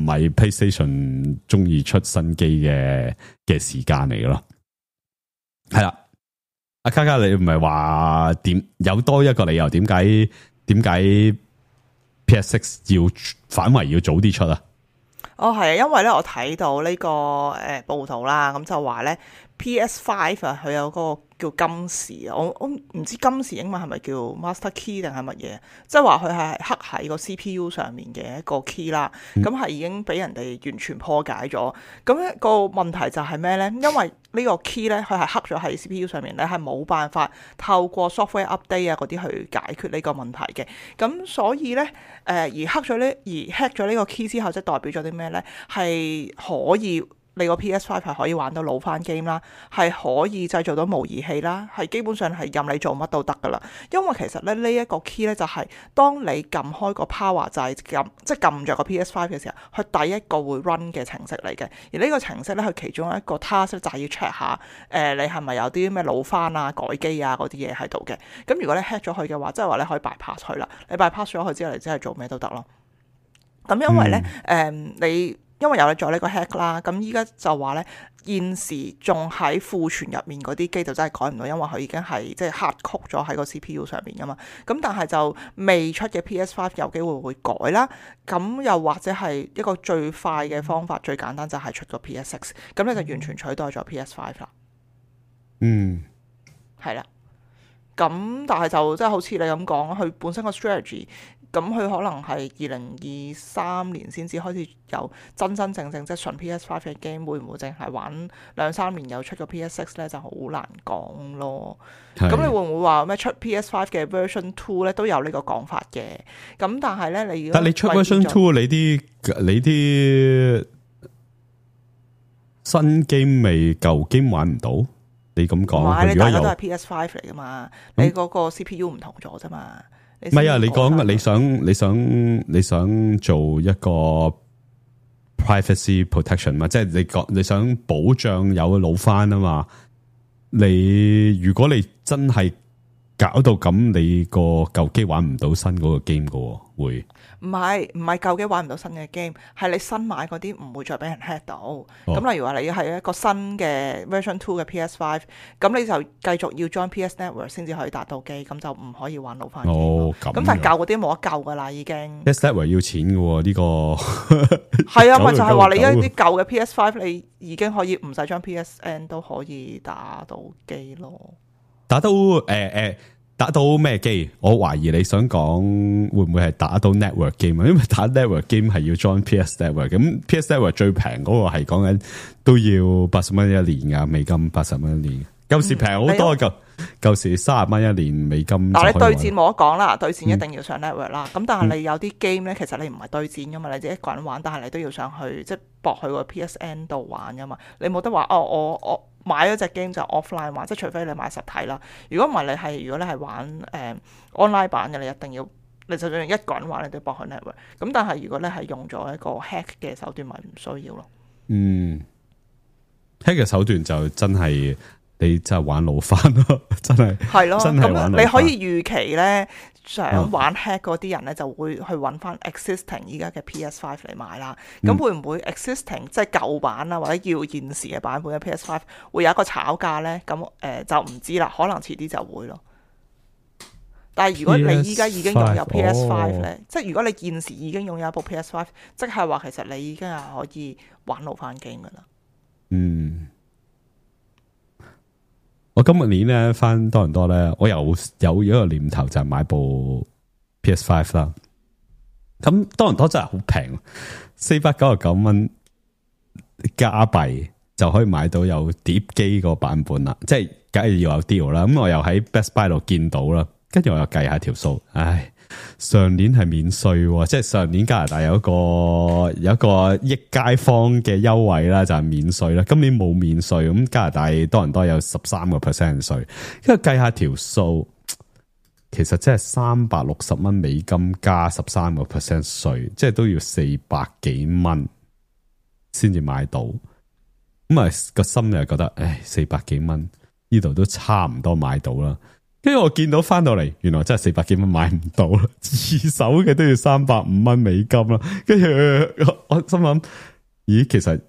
係 PlayStation 中意出新機嘅嘅時間嚟嘅咯。係啦，阿卡卡你唔係話點有多一個理由點解點解？P S 六要反為要早啲出啊？哦，係啊，因為咧我睇到呢、這個誒、呃、報道啦，咁就話咧 P S 五 啊，佢有嗰個叫金匙啊，我我唔知金匙英文係咪叫 Master Key 定係乜嘢？即係話佢係刻喺個 C P U 上面嘅一個 key 啦，咁係、嗯、已經俾人哋完全破解咗。咁咧個問題就係咩咧？因為呢個 key 咧，佢係刻咗喺 C P U 上面咧，係冇辦法透過 software update 啊嗰啲去解決呢個問題嘅。咁所以咧，誒、呃、而刻咗呢而 hack 咗呢個 key 之後，即係代表咗啲咩咧？係可以。你個 P S 五 係可以玩到老翻 game 啦，係可以製造到模擬器啦，係基本上係任你做乜都得噶啦。因為其實咧呢一個 key 咧就係當你撳開個 power 掣撳即係撳着個 P S 五 嘅時候，佢第一個會 run 嘅程式嚟嘅。而呢個程式咧，佢其中一個 task 就係要 check 下誒、呃、你係咪有啲咩老翻啊、改機啊嗰啲嘢喺度嘅。咁如果你 hack 咗佢嘅話，即係話你可以 bypass 佢啦。你 bypass 咗佢之後，你真係做咩都得咯。咁因為咧誒、嗯呃、你。因為有你做呢個 hack 啦，咁依家就話咧，現時仲喺庫存入面嗰啲機就真係改唔到，因為佢已經係即係 hard code 咗喺個 C P U 上面噶嘛。咁但係就未出嘅 P S 五 有機會會改啦。咁又或者係一個最快嘅方法，最簡單就係出個 P S 六，咁你就完全取代咗 P S 五 啦。嗯，係啦。咁但係就即係好似你咁講，佢本身個 strategy。咁佢可能係二零二三年先至開始有真真正正即係純 P S 五 嘅 game，會唔會淨係玩兩三年又出個 P S 六咧，就好難講咯。咁是你會唔會話咩出 P S 五 嘅 version two 咧都有呢個講法嘅？咁但係咧你但你出 version two 你啲你啲新 game 未舊 game 玩唔到？你咁講，唔係你大家都係 P S 五 嚟噶嘛？嗯、你嗰個 C P U 唔同咗啫嘛？唔係啊！你講你想你想你想做一個 privacy protection 嘛，即係你講你想保障有老翻啊嘛。你如果你真係搞到咁，你個舊機玩唔到新嗰個 game 噶，會唔係唔係舊機玩唔到新嘅 game， 係你新買嗰啲唔會再俾人 hack 到。咁、哦、例如話你係一個新嘅 version two 嘅 P S five， 咁你就繼續要 join P S Network 先至可以達到機，咁就唔可以玩老翻機。哦，咁咁但係舊嗰啲冇得救噶啦，已經。P S Network 要錢嘅喎，呢、這個係啊，咪就係話你一啲舊嘅 P S five， 你已經可以唔使將 P S N 都可以打到機咯。打到誒誒。呃呃打到咩機？我懷疑你想講會唔會係打到 network game 啊？因為打 network game 係要 join P S Network， 咁 P S Network 最平嗰個係講緊都要八十蚊一年噶，美金八十蚊一年。舊時平好多，舊舊時三十蚊一年美金。嗱，你對戰冇得講啦，對戰一定要上 network 啦。咁、嗯、但係你有啲 game 咧，其實你唔係對戰噶嘛，你自己一個人玩，但係你都要上去即係駁去個 P S N 度玩噶嘛。你冇得話哦，我我。買咗隻 game 就 offline 玩，即係除非你買實體啦。如果唔係你係，如果你係玩誒、呃、online 版嘅，你一定要，你就算一個人玩，你都要駁去 network。咁但係如果你係用咗一個 hack 嘅手段，咪唔需要咯。嗯 hack 嘅手段就真係你真係玩老翻咯，真係係咯。咁你可以預期咧，想玩 hack 嗰啲人咧，就會去揾翻 existing 依家嘅 P S five 嚟買啦。咁、嗯、會唔會 existing 即係舊版啊，或者要現時嘅版本嘅 P S five 會有一個炒價咧？咁誒、呃、就唔知啦，可能遲啲就會咯。但係如果你依家已經擁有 P S five 咧，即係如果你現時已經擁有一部 P S five， 即係話其實你已經係可以玩老翻 game 噶啦。嗯。我今日年咧翻多倫多咧，我有有一個念頭就係買部 P S five 啦。咁多倫多真係好平，四百九十九蚊加幣就可以買到有碟機個版本啦。即係梗係要有 deal 啦。咁我又喺 Best Buy 度見到啦，跟住我又計下條數，唉。上年係免稅，即係上年加拿大有一個有一個益街坊嘅優惠啦，就係免稅啦。今年冇免稅，咁加拿大多倫多有十三個 percent 稅，因為計下條數，其實即係三百六十蚊美金加十三個 percent 稅，即係都要四百幾蚊先至買到。咁啊個心又覺得，唉，四百幾蚊呢度都差唔多買到啦。跟住我見到翻到嚟，原來真係四百幾蚊買唔到啦，二手嘅都要三百五蚊美金啦。跟住我心諗，咦，其實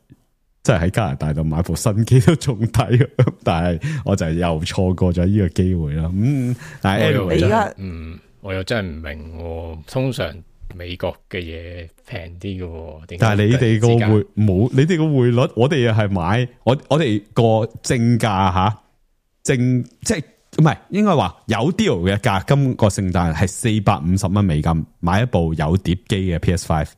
真係喺加拿大度買部新機都仲抵，但係我就又錯過咗呢個機會啦。嗯，但係 anyway 你而家，嗯，我又真係唔明，通常美國嘅嘢平啲嘅，但係你哋個匯冇，你哋個匯率，我哋又係買，我我哋個正價吓，正即係。唔係，應該話有 deal 嘅價，今個聖誕係四百五十蚊美金買一部有碟機嘅 P S five。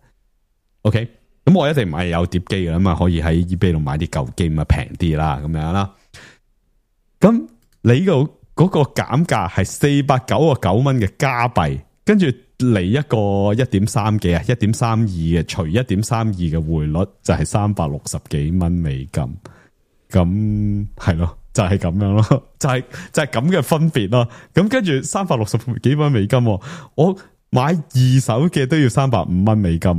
OK，咁我一定唔係有碟機嘅，咁啊可以喺 eBay 度買啲舊機，咁啊平啲啦，咁樣啦。咁你個嗰個減價係四百九十九蚊嘅加幣，跟住嚟一個一點三幾啊，一點三二嘅除一點三二嘅匯率就係三百六十幾蚊美金。咁係咯。就係咁樣咯，就係、是、就係咁嘅分別咯。咁跟住三百六十幾蚊美金，我買二手嘅都要三百五蚊美金，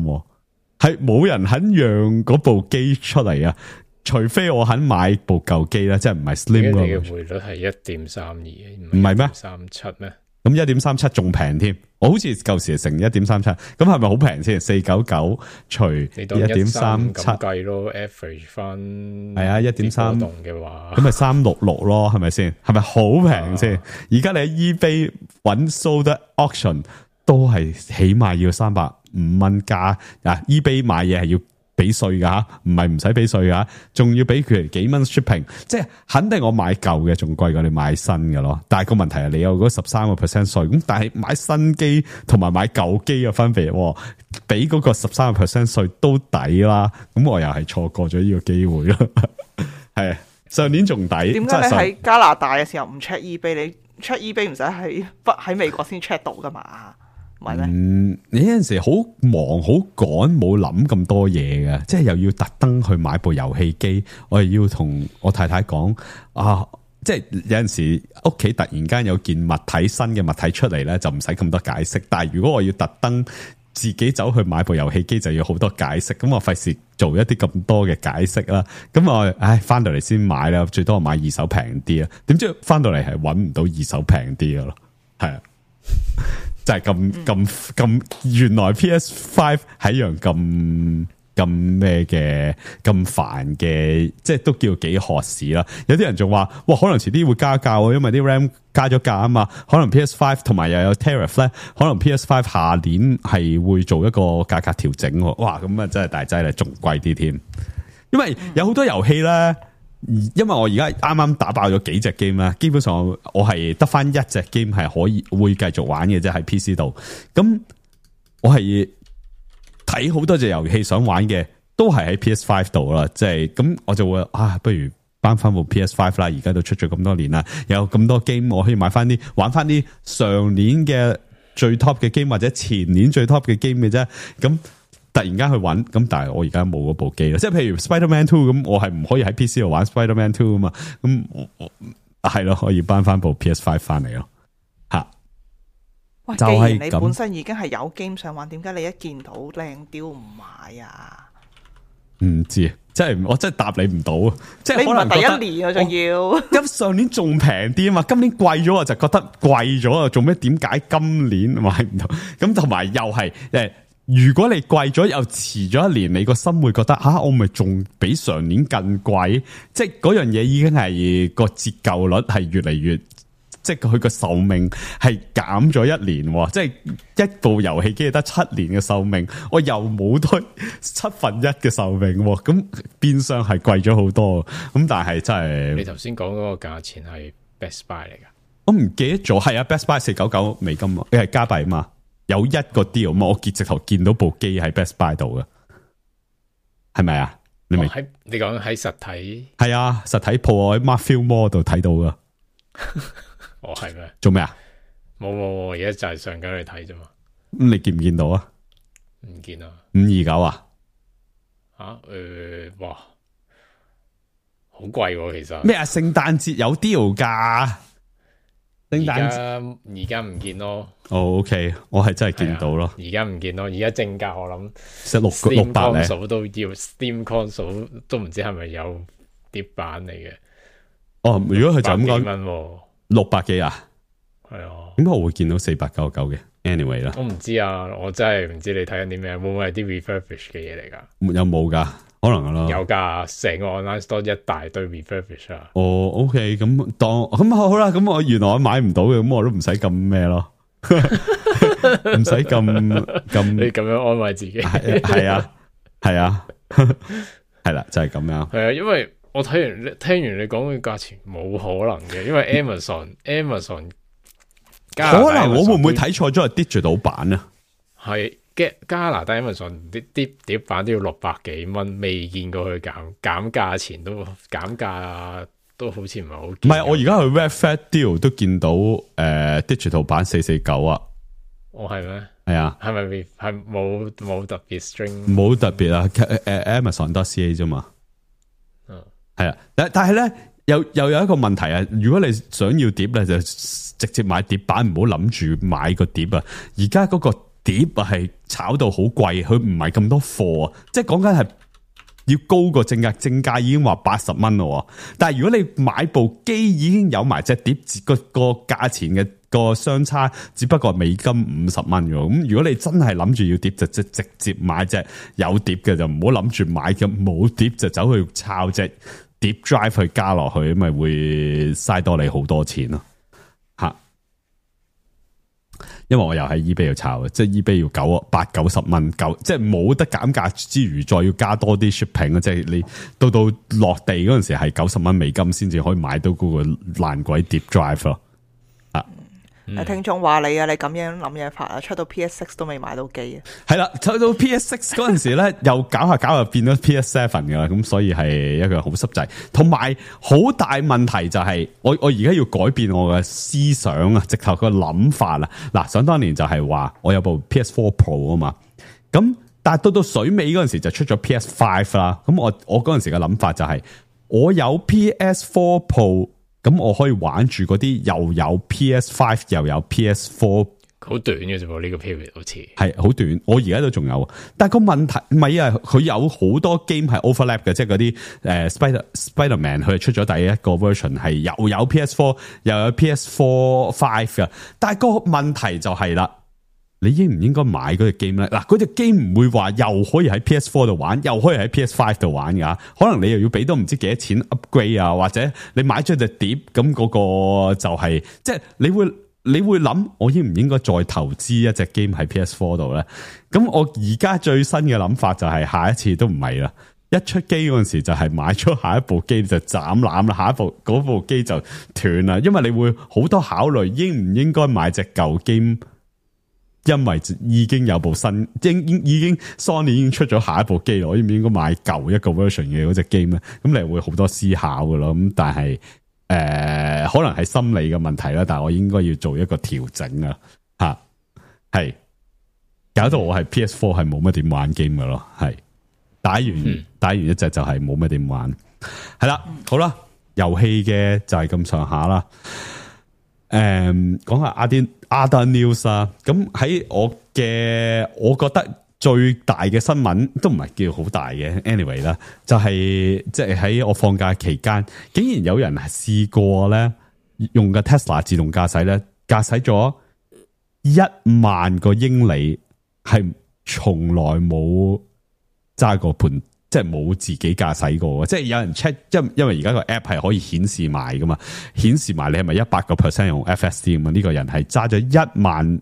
係冇人肯讓嗰部機出嚟啊！除非我肯買部舊機啦，即係唔係 Slim 咯。你嘅匯率係一點三二，唔係咩？三七咩？咁一點三七仲平添，我好似舊時成一點三七，咁係咪好平先？四九九除一點三七計咯 ，average 翻係啊，一點三動嘅話，咁咪三六六咯，係咪先？係咪好平先？而家、啊、你喺 eBay 揾 sold auction 都係起碼要三百五蚊加啊 ！eBay 買嘢係要俾稅噶吓，唔係唔使俾稅噶，仲要俾佢幾蚊 shipping， 即係肯定我買舊嘅仲貴過你買新嘅咯。但係個問題係你有嗰十三個 percent 稅，咁但係買新機同埋買舊機嘅分別，俾嗰個十三個 percent 稅都抵啦。咁我又係錯過咗呢個機會咯。係上年仲抵。點解你喺加拿大嘅時候唔 check eBay？ 你 check eBay 唔使喺不喺美國先 check 到噶嘛？嗯，你有陣時好忙好趕，冇諗咁多嘢嘅，即係又要特登去買部遊戲機，我又要同我太太講啊，即係有陣時屋企突然間有件物體新嘅物體出嚟咧，就唔使咁多解釋。但係如果我要特登自己走去買部遊戲機就要好多解釋，咁我費事做一啲咁多嘅解釋啦。咁我唉翻到嚟先買啦，最多我買二手平啲啊。點知翻到嚟係揾唔到二手平啲嘅咯，係啊，就係咁咁咁，原來 P S 五 係一樣咁咁咩嘅咁煩嘅，即係都叫幾渴市啦。有啲人仲話，哇，可能遲啲會加價，因為啲 RAM 加咗價啊嘛。可能 P S 五 同埋又有 tariff 咧，可能 P S 五 下年係會做一個價格調整。哇，咁啊真係大劑啦，仲貴啲添。因為有好多遊戲咧，因為我而家啱啱打爆咗幾隻 game 啦，基本上我係得翻一隻 game 係可以會繼續玩嘅啫，喺 P C 度。咁我係睇好多隻遊戲想玩嘅，都係喺 P S 五 度啦，即係咁我就會啊，不如搬翻部 P S 五 啦，而家都出咗咁多年啦，有咁多 game 我可以買翻啲玩翻啲上年嘅最 top 嘅 game 或者前年最 top 嘅 game 嘅啫，咁突然間去揾，咁但係我而家冇嗰部機啦，即係譬如 Spider-Man Two 咁，我係唔可以喺 P C 度玩 Spider-Man Two 啊嘛，咁我我係咯，可以搬翻部 P S 五 翻嚟咯，吓。喂，既然你本身已經係有 game 想玩，點解你一見到靚雕唔買啊？唔知，即係我真係答你唔到啊！即係可能第一年我仲要，咁上年仲平啲啊嘛，今年貴咗我就覺得貴咗啊！做咩？點解今年買唔到？咁同埋又係誒，如果你貴咗又遲咗一年，你個心會覺得吓、啊，我咪仲比上年更貴？即係嗰樣嘢已經係個折舊率係越嚟越。即係佢個壽命係減咗一年，即係一部遊戲機得七年嘅壽命，我又冇多七分一嘅壽命，咁變相係貴咗好多。咁但係真係，你頭先講嗰個價錢係 Best Buy 嚟噶？我唔記得咗，係啊 Best Buy 四九九美金，你係加幣嘛？有一個 deal 嘛？我直頭見到部機喺 Best Buy 度嘅，係咪啊？你明？喺、哦、你講喺實體？係啊，實體鋪我喺 Markfield Mall 度睇到噶。哦，係咩？做咩啊？冇冇，而家就係上緊去睇啫嘛。咁你見唔見到啊？唔見啊。五二九啊？吓？誒、呃，哇，好貴喎，其實。咩啊？聖誕節有 deal 噶？聖誕節而家唔見咯。哦 ，OK， 我係真係見到咯。而家唔見咯，而家正價我諗，即係六六百咧。Steam console 都要 Steam console 都唔知係咪有碟版嚟嘅。哦，如果佢就咁講。六百幾啊？係啊，點解我會見到四百九十九嘅 ？Anyway 啦，我唔知啊，我真係唔知你睇緊啲咩，會唔會係啲 refurbish 嘅嘢嚟噶？有冇噶？可能咯，有噶，成個 online store 一大堆 refurbish 啊。哦 ，OK，咁當咁好啦，咁我原來我買唔到嘅，咁我都唔使咁咩咯，唔使咁咁。你咁樣安慰自己，係啊，係啊，係啦，就係咁樣。係啊，因為。我睇完聽完你講嘅價錢冇可能嘅，因為 Amazon Amazon 加拿大 Amazon 可能我會唔會睇錯咗係 digital 版啊？係加拿大 Amazon 啲啲碟版都要六百幾蚊，未見過佢減減價錢都減價都好似唔係好。唔係，我而家去 Red Flag Deal 都見到誒、呃、digital 版四四九啊。哦，係咩？係啊，係咪係冇冇特別 string？冇特別啊，誒、呃、Amazon 得 C A 啫嘛。係啊，但但係咧，又又有一個問題啊！如果你想要碟咧，就直接買碟版，唔好諗住買個碟啊！而家嗰個碟啊係炒到好貴，佢唔係咁多貨啊，即係講緊係要高過正價，正價已經話八十蚊咯。但係如果你買部機已經有埋隻碟，個個價錢嘅個相差，只不過係美金五十蚊嘅。咁如果你真係諗住要碟，就即直接買隻有碟嘅，就唔好諗住買嘅冇碟就走去抄隻碟 drive 去加落去，咪會嘥多你好多錢咯吓。因為我又喺 eBay 度炒嘅，即係 eBay 要九八九十蚊，九即係冇得減價之餘，再要加多啲 shipping 啊！即係你到到落地嗰陣時係九十蚊美金先至可以買到嗰個爛鬼碟 drive 咯。嗯、聽眾話你啊，你咁樣諗嘢法啊，出到 P S 六都未買到機啊。係啦，出到 P S 六嗰陣時咧，又搞下搞下變咗 P S 七噶啦，咁所以係一個好濕滯。同埋好大問題就係、是，我我而家要改變我嘅思想啊，直頭個諗法啦。嗱，想當年就係話我有部 P S 四 Pro 啊嘛，咁但係到到水尾嗰陣時就出咗 P S 五啦。咁我我嗰陣時嘅諗法就係、是，我有 P S 四 Pro。咁我可以玩住嗰啲又有 P S 五 又有 P S 四好短嘅啫喎，呢個 period 好似係好短。我而家都仲有，但係個問題唔係啊，佢有好多 game 係 overlap 嘅，即係嗰啲誒 Spider Spider-Man 佢出咗第一個 version 係又有 P S 四 又有 P S 四 five 嘅，但係個問題就係啦，你應唔應該買嗰隻 game 咧？嗱，嗰隻 game 唔會話又可以喺 P S 四 度玩，又可以喺 P S 五 度玩噶，可能你又要俾多唔知幾多錢 upgrade 啊，或者你買咗隻碟咁嗰個就係、是、即係你會。你會諗我應唔應該再投資一隻 game 喺 P S 四 度咧？咁我而家最新嘅諗法就係下一次都唔係啦，一出機嗰陣時就係買咗下一部機就斬纜啦，下一部嗰部機就斷啦，因為你會好多考慮應唔應該買隻舊 game，因為已經有部新，已已經 Sony 已經出咗下一部機，我應唔應該買舊一個 version 嘅嗰隻 game 咧？咁你會好多思考噶咯，咁但係。誒、呃，可能係心理嘅問題啦，但係我應該要做一個調整啊，吓係搞到我係 P S 四 係冇乜點玩 game 嘅咯，係打完、嗯、打完一隻就係冇乜點玩，係啦，好啦，遊戲嘅就係咁上下啦。誒、嗯，講下 other other news 啊，咁喺我嘅，我覺得。最大嘅新聞都唔係叫好大嘅 ，anyway 啦，就係即係喺我放假期間，竟然有人試過咧用嘅 Tesla 自動駕駛咧，駕駛咗一萬個英里，係從來冇揸過盤，即係冇自己駕駛過嘅。即係有人 check，因因為而家個 app 係可以顯示埋噶嘛，顯示埋你係咪一百個 percent 用 F S D 咁啊？呢個人係揸咗一萬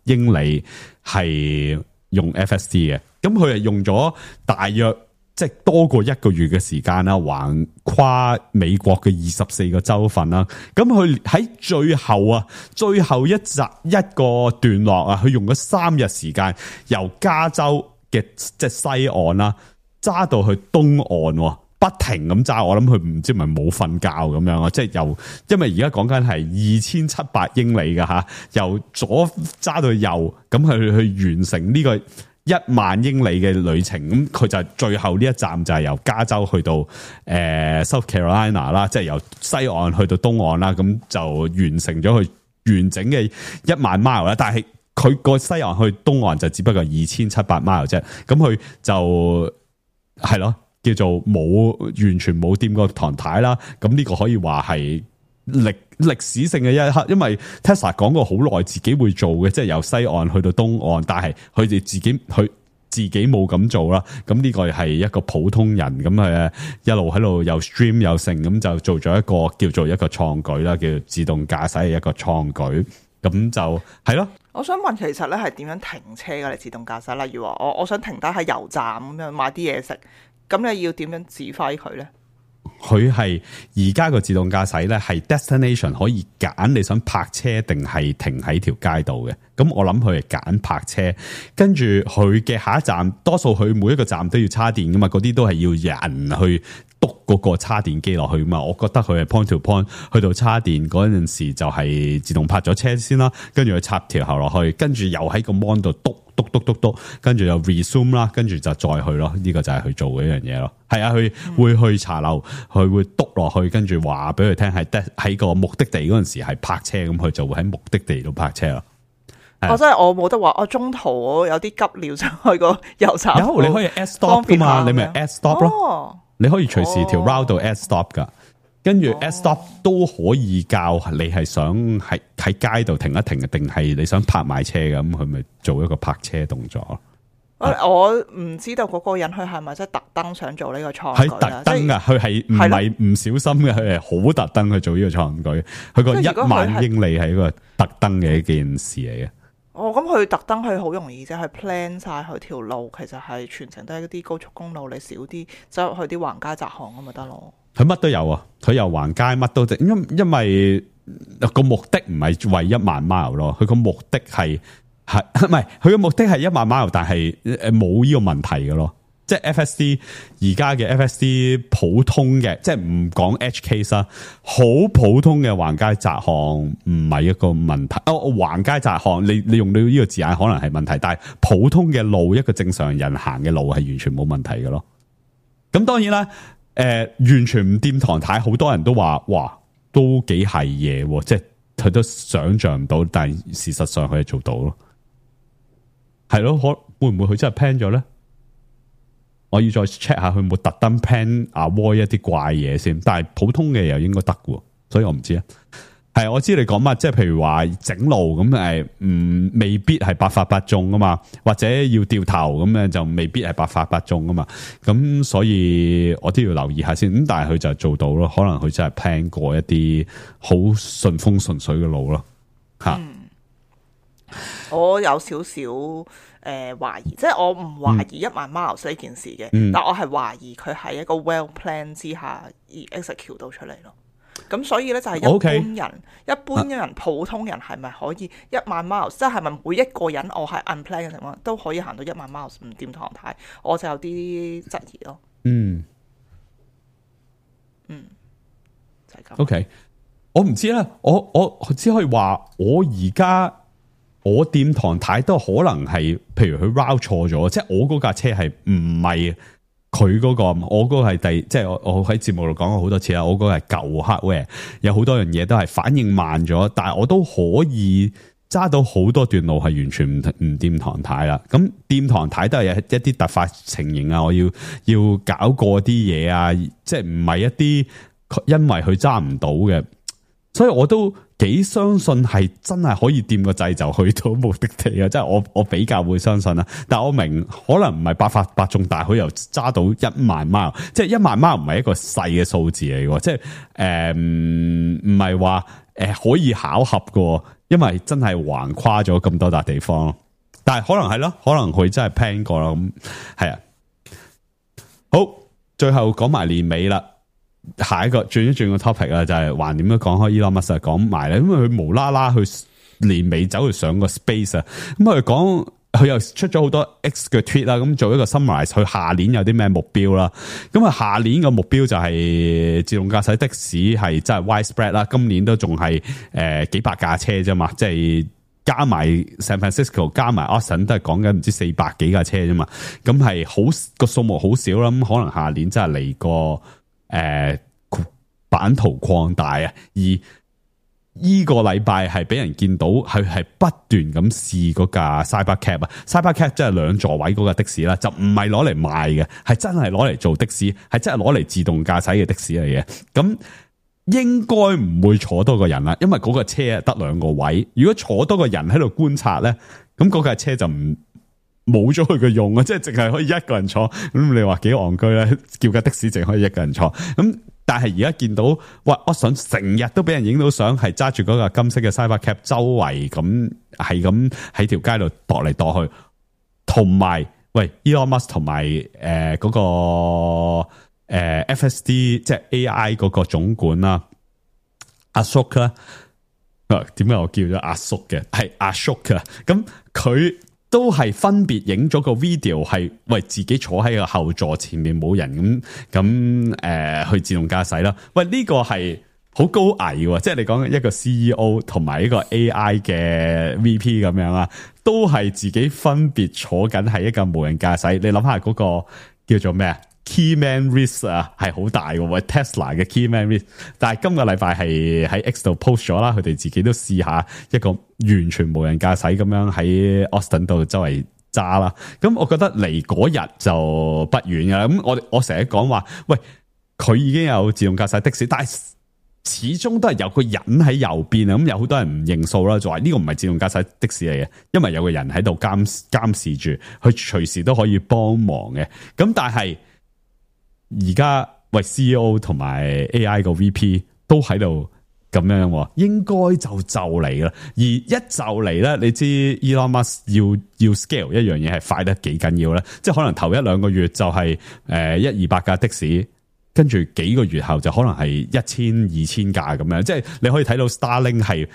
英里係。用 F S D 嘅，咁佢係用咗大約即係多過一個月嘅時間啦，橫跨美國嘅二十四個州份啦。咁佢喺最後啊，最後一集一個段落啊，佢用咗三日時間，由加州嘅即係西岸啦，揸到去東岸，不停咁揸。我諗佢唔知係咪冇瞓覺咁樣啊，即係由因為而家講緊係二千七百英里㗎吓，由左揸到右，咁去去完成呢個一萬英里嘅旅程。咁佢就最後呢一站就係由加州去到誒、呃、South Carolina 啦，即係由西岸去到東岸啦，咁就完成咗佢完整嘅一萬 mile 啦。但係佢個西岸去東岸就只不過二千七百 mile 啫，咁佢就係咯。叫做冇完全冇掂過唐太啦，咁呢個可以話係歷歷史性嘅一刻，因為 Tesla 講過好耐自己會做嘅，即係由西岸去到東岸，但係佢哋自己佢自己冇咁做啦。咁呢個係一個普通人咁誒，一路喺度又 stream 又成，咁就做咗一個叫做一個創舉啦，叫做自動駕駛嘅一個創舉。咁就係咯。我想問，其實咧係點樣停車噶？你自動駕駛，例如話我我想停低喺油站咁樣買啲嘢食。咁你要點樣指揮佢咧？佢係而家個自動駕駛咧，係 destination 可以揀你想泊車定係停喺條街度嘅。咁我諗佢係揀泊車，跟住佢嘅下一站，多數佢每一個站都要叉電噶嘛，嗰啲都係要人去篤嗰個叉電機落去嘛。我覺得佢係 point to point 去到叉電嗰陣時就係自動泊咗車先啦，跟住佢插條喉落去，跟住又喺個 mon 度篤。篤篤篤篤，跟住又 resume 啦，跟住就再去咯。呢、這個就係佢做嘅一樣嘢咯。係啊，佢會去茶樓，佢會篤落去，跟住話俾佢聽係喺個目的地嗰陣時係泊車，咁佢就會喺目的地度泊車咯。我真係我冇得話，我中途我有啲急尿想去個油站。有你可以 add stop 噶嘛，你咪 add stop 咯。哦、你可以隨時條 route 度 add stop 噶。跟住 add stop 都可以教你係想喺喺街度停一停，定係你想泊埋車咁，佢咪做一個泊車動作。我唔知道嗰個人佢係咪真係特登想做呢個創舉？係特登噶，佢係唔係唔小心嘅，佢係好特登去做呢個創舉。佢個一萬英里係一個特登嘅一件事嚟嘅。哦，咁佢特登佢好容易啫，係 plan 晒佢條路，其實係全程都係一啲高速公路，你少啲走入去啲橫街窄巷咁咪得咯。佢乜都有啊，佢又橫街乜都得，因因為個目的唔係為一萬 mile 咯，佢個目的係係唔係佢個目的係一萬 mile，但係誒冇呢個問題嘅咯。即係 F S D 而家嘅 F S D 普通嘅，即係唔講 edge case 啦，好普通嘅橫街窄巷唔係一個問題。哦，橫街窄巷，你你用到呢個字眼可能係問題，但係普通嘅路，一個正常人行嘅路係完全冇問題嘅咯。咁當然啦。誒、呃，完全唔掂唐太，好多人都話，哇，都幾係嘢，即係佢都想象唔到，但係事實上佢係做到咯。係咯，可會唔會佢真係 plan 咗咧？我要再 check 下佢冇特登 plan avoid 一啲怪嘢先，但係普通嘅又應該得嘅，所以我唔知啊。係我知你講乜，即係譬如話整路咁誒，唔未必係百發百中啊嘛，或者要掉頭咁樣就未必係百發百中啊嘛。咁所以我都要留意下先。咁但係佢就做到咯，可能佢真係 plan 過一啲好順風順水嘅路咯。吓、嗯，我有少少。誒、呃、懷疑，即係我唔懷疑一萬 miles 呢件事嘅，嗯、但我係懷疑佢係一個 well plan 之下而 execute 到出嚟咯。咁所以咧就係、是、一般人，okay. 一般人、啊、普通人係咪可以一萬 miles？即係係咪每一個人我係 unplan 嘅情況都可以行到一萬 miles 唔掂唐太？我就有啲質疑咯。嗯，嗯，就係、是、咁。OK， 我唔知啦，我我只可以話我而家。我掂唐太都可能係，譬如佢 route 錯咗，即係我嗰架車係唔係佢嗰個，我嗰個係第，即係我我喺節目度講過好多次啦，我嗰個係舊 hardware，有好多樣嘢都係反應慢咗，但係我都可以揸到好多段路係完全唔唔掂唐太啦。咁掂唐太都係有一啲突發情形啊，我要要搞過啲嘢啊，即係唔係一啲因為佢揸唔到嘅。所以我都幾相信係真係可以掂個掣就去到目的地啊！即係我我比較會相信啦。但係我明可能唔係百發百中，但係佢又揸到一萬 mile，即係一萬 mile唔係一個細嘅數字嚟嘅，即係誒唔係話誒可以巧合嘅，因為真係橫跨咗咁多笪地方。但係可能係咯，可能佢真係 plan 過啦。咁係啊，好，最後講埋年尾啦。下一個轉一轉個 topic 啊，就係還點樣講開 Elon Musk 講埋咧，因為佢無啦啦去年尾走去上個 space 啊，咁佢講佢又出咗好多 X 嘅 tweet 啦，咁做一個 summarize，佢下年有啲咩目標啦，咁啊下年個目標就係自動駕駛的士係真係 widespread 啦，今年都仲係誒幾百架車啫嘛，即係加埋 San Francisco 加埋 Austin 都係講緊唔知四百幾架車啫嘛，咁係好個數目好少啦，咁可能下年真係嚟個。誒、呃，版圖擴大啊！而依個禮拜係俾人見到，佢係不斷咁試嗰架 Cybercab 啊 ，Cybercab 即係兩座位嗰架的士啦，就唔係攞嚟賣嘅，係真係攞嚟做的士，係真係攞嚟自動駕駛嘅的，的士嚟嘅。咁應該唔會坐多個人啦，因為嗰個車啊得兩個位，如果坐多個人喺度觀察咧，咁嗰架車就唔。冇咗佢嘅用啊，即係淨係可以一個人坐，咁你話幾戇居咧？叫架的士淨可以一個人坐，咁但係而家見到，哇！我想成日都俾人影到相，係揸住嗰架金色嘅 Cybercab 周圍咁，係咁喺條街度踱嚟踱去，同埋喂 Elon Musk 同埋誒嗰個誒、呃、F S D 即係 A I 嗰個總管啦，阿叔啦，點解我叫咗阿叔嘅？係阿叔嘅，咁佢。都係分別影咗個 video， 係為自己坐喺個後座前面冇人咁咁誒去自動駕駛啦。喂，呢、這個係好高危嘅，即係你講一個 C E O 同埋一個 A I 嘅 V P 咁樣啊，都係自己分別坐緊係一架無人駕駛。你諗下嗰個叫做咩啊 ？Key man risk 啊，係好大嘅。喂 Tesla 嘅 Key man risk，但係今個禮拜係喺 X 度 post 咗啦，佢哋自己都試下一個完全無人駕駛咁樣喺 Austin 度周圍揸啦。咁我覺得離嗰日就不遠㗎啦。咁我我成日講話，喂，佢已經有自動駕駛的士，但係始終都係有個人喺右邊啊。咁有好多人唔認數啦，就話呢個唔係自動駕駛的士嚟嘅，因為有個人喺度監監視住，佢隨時都可以幫忙嘅。咁但係而家喂 C E O 同埋 A I 個 V P 都喺度咁樣，應該就就嚟啦。而一就嚟咧，你知 Elon Musk 要要 scale 一樣嘢係快得幾緊要咧？即係可能頭一兩個月就係誒一二百架的士，跟住幾個月後就可能係一千二千架咁樣。即係你可以睇到 Starlink 係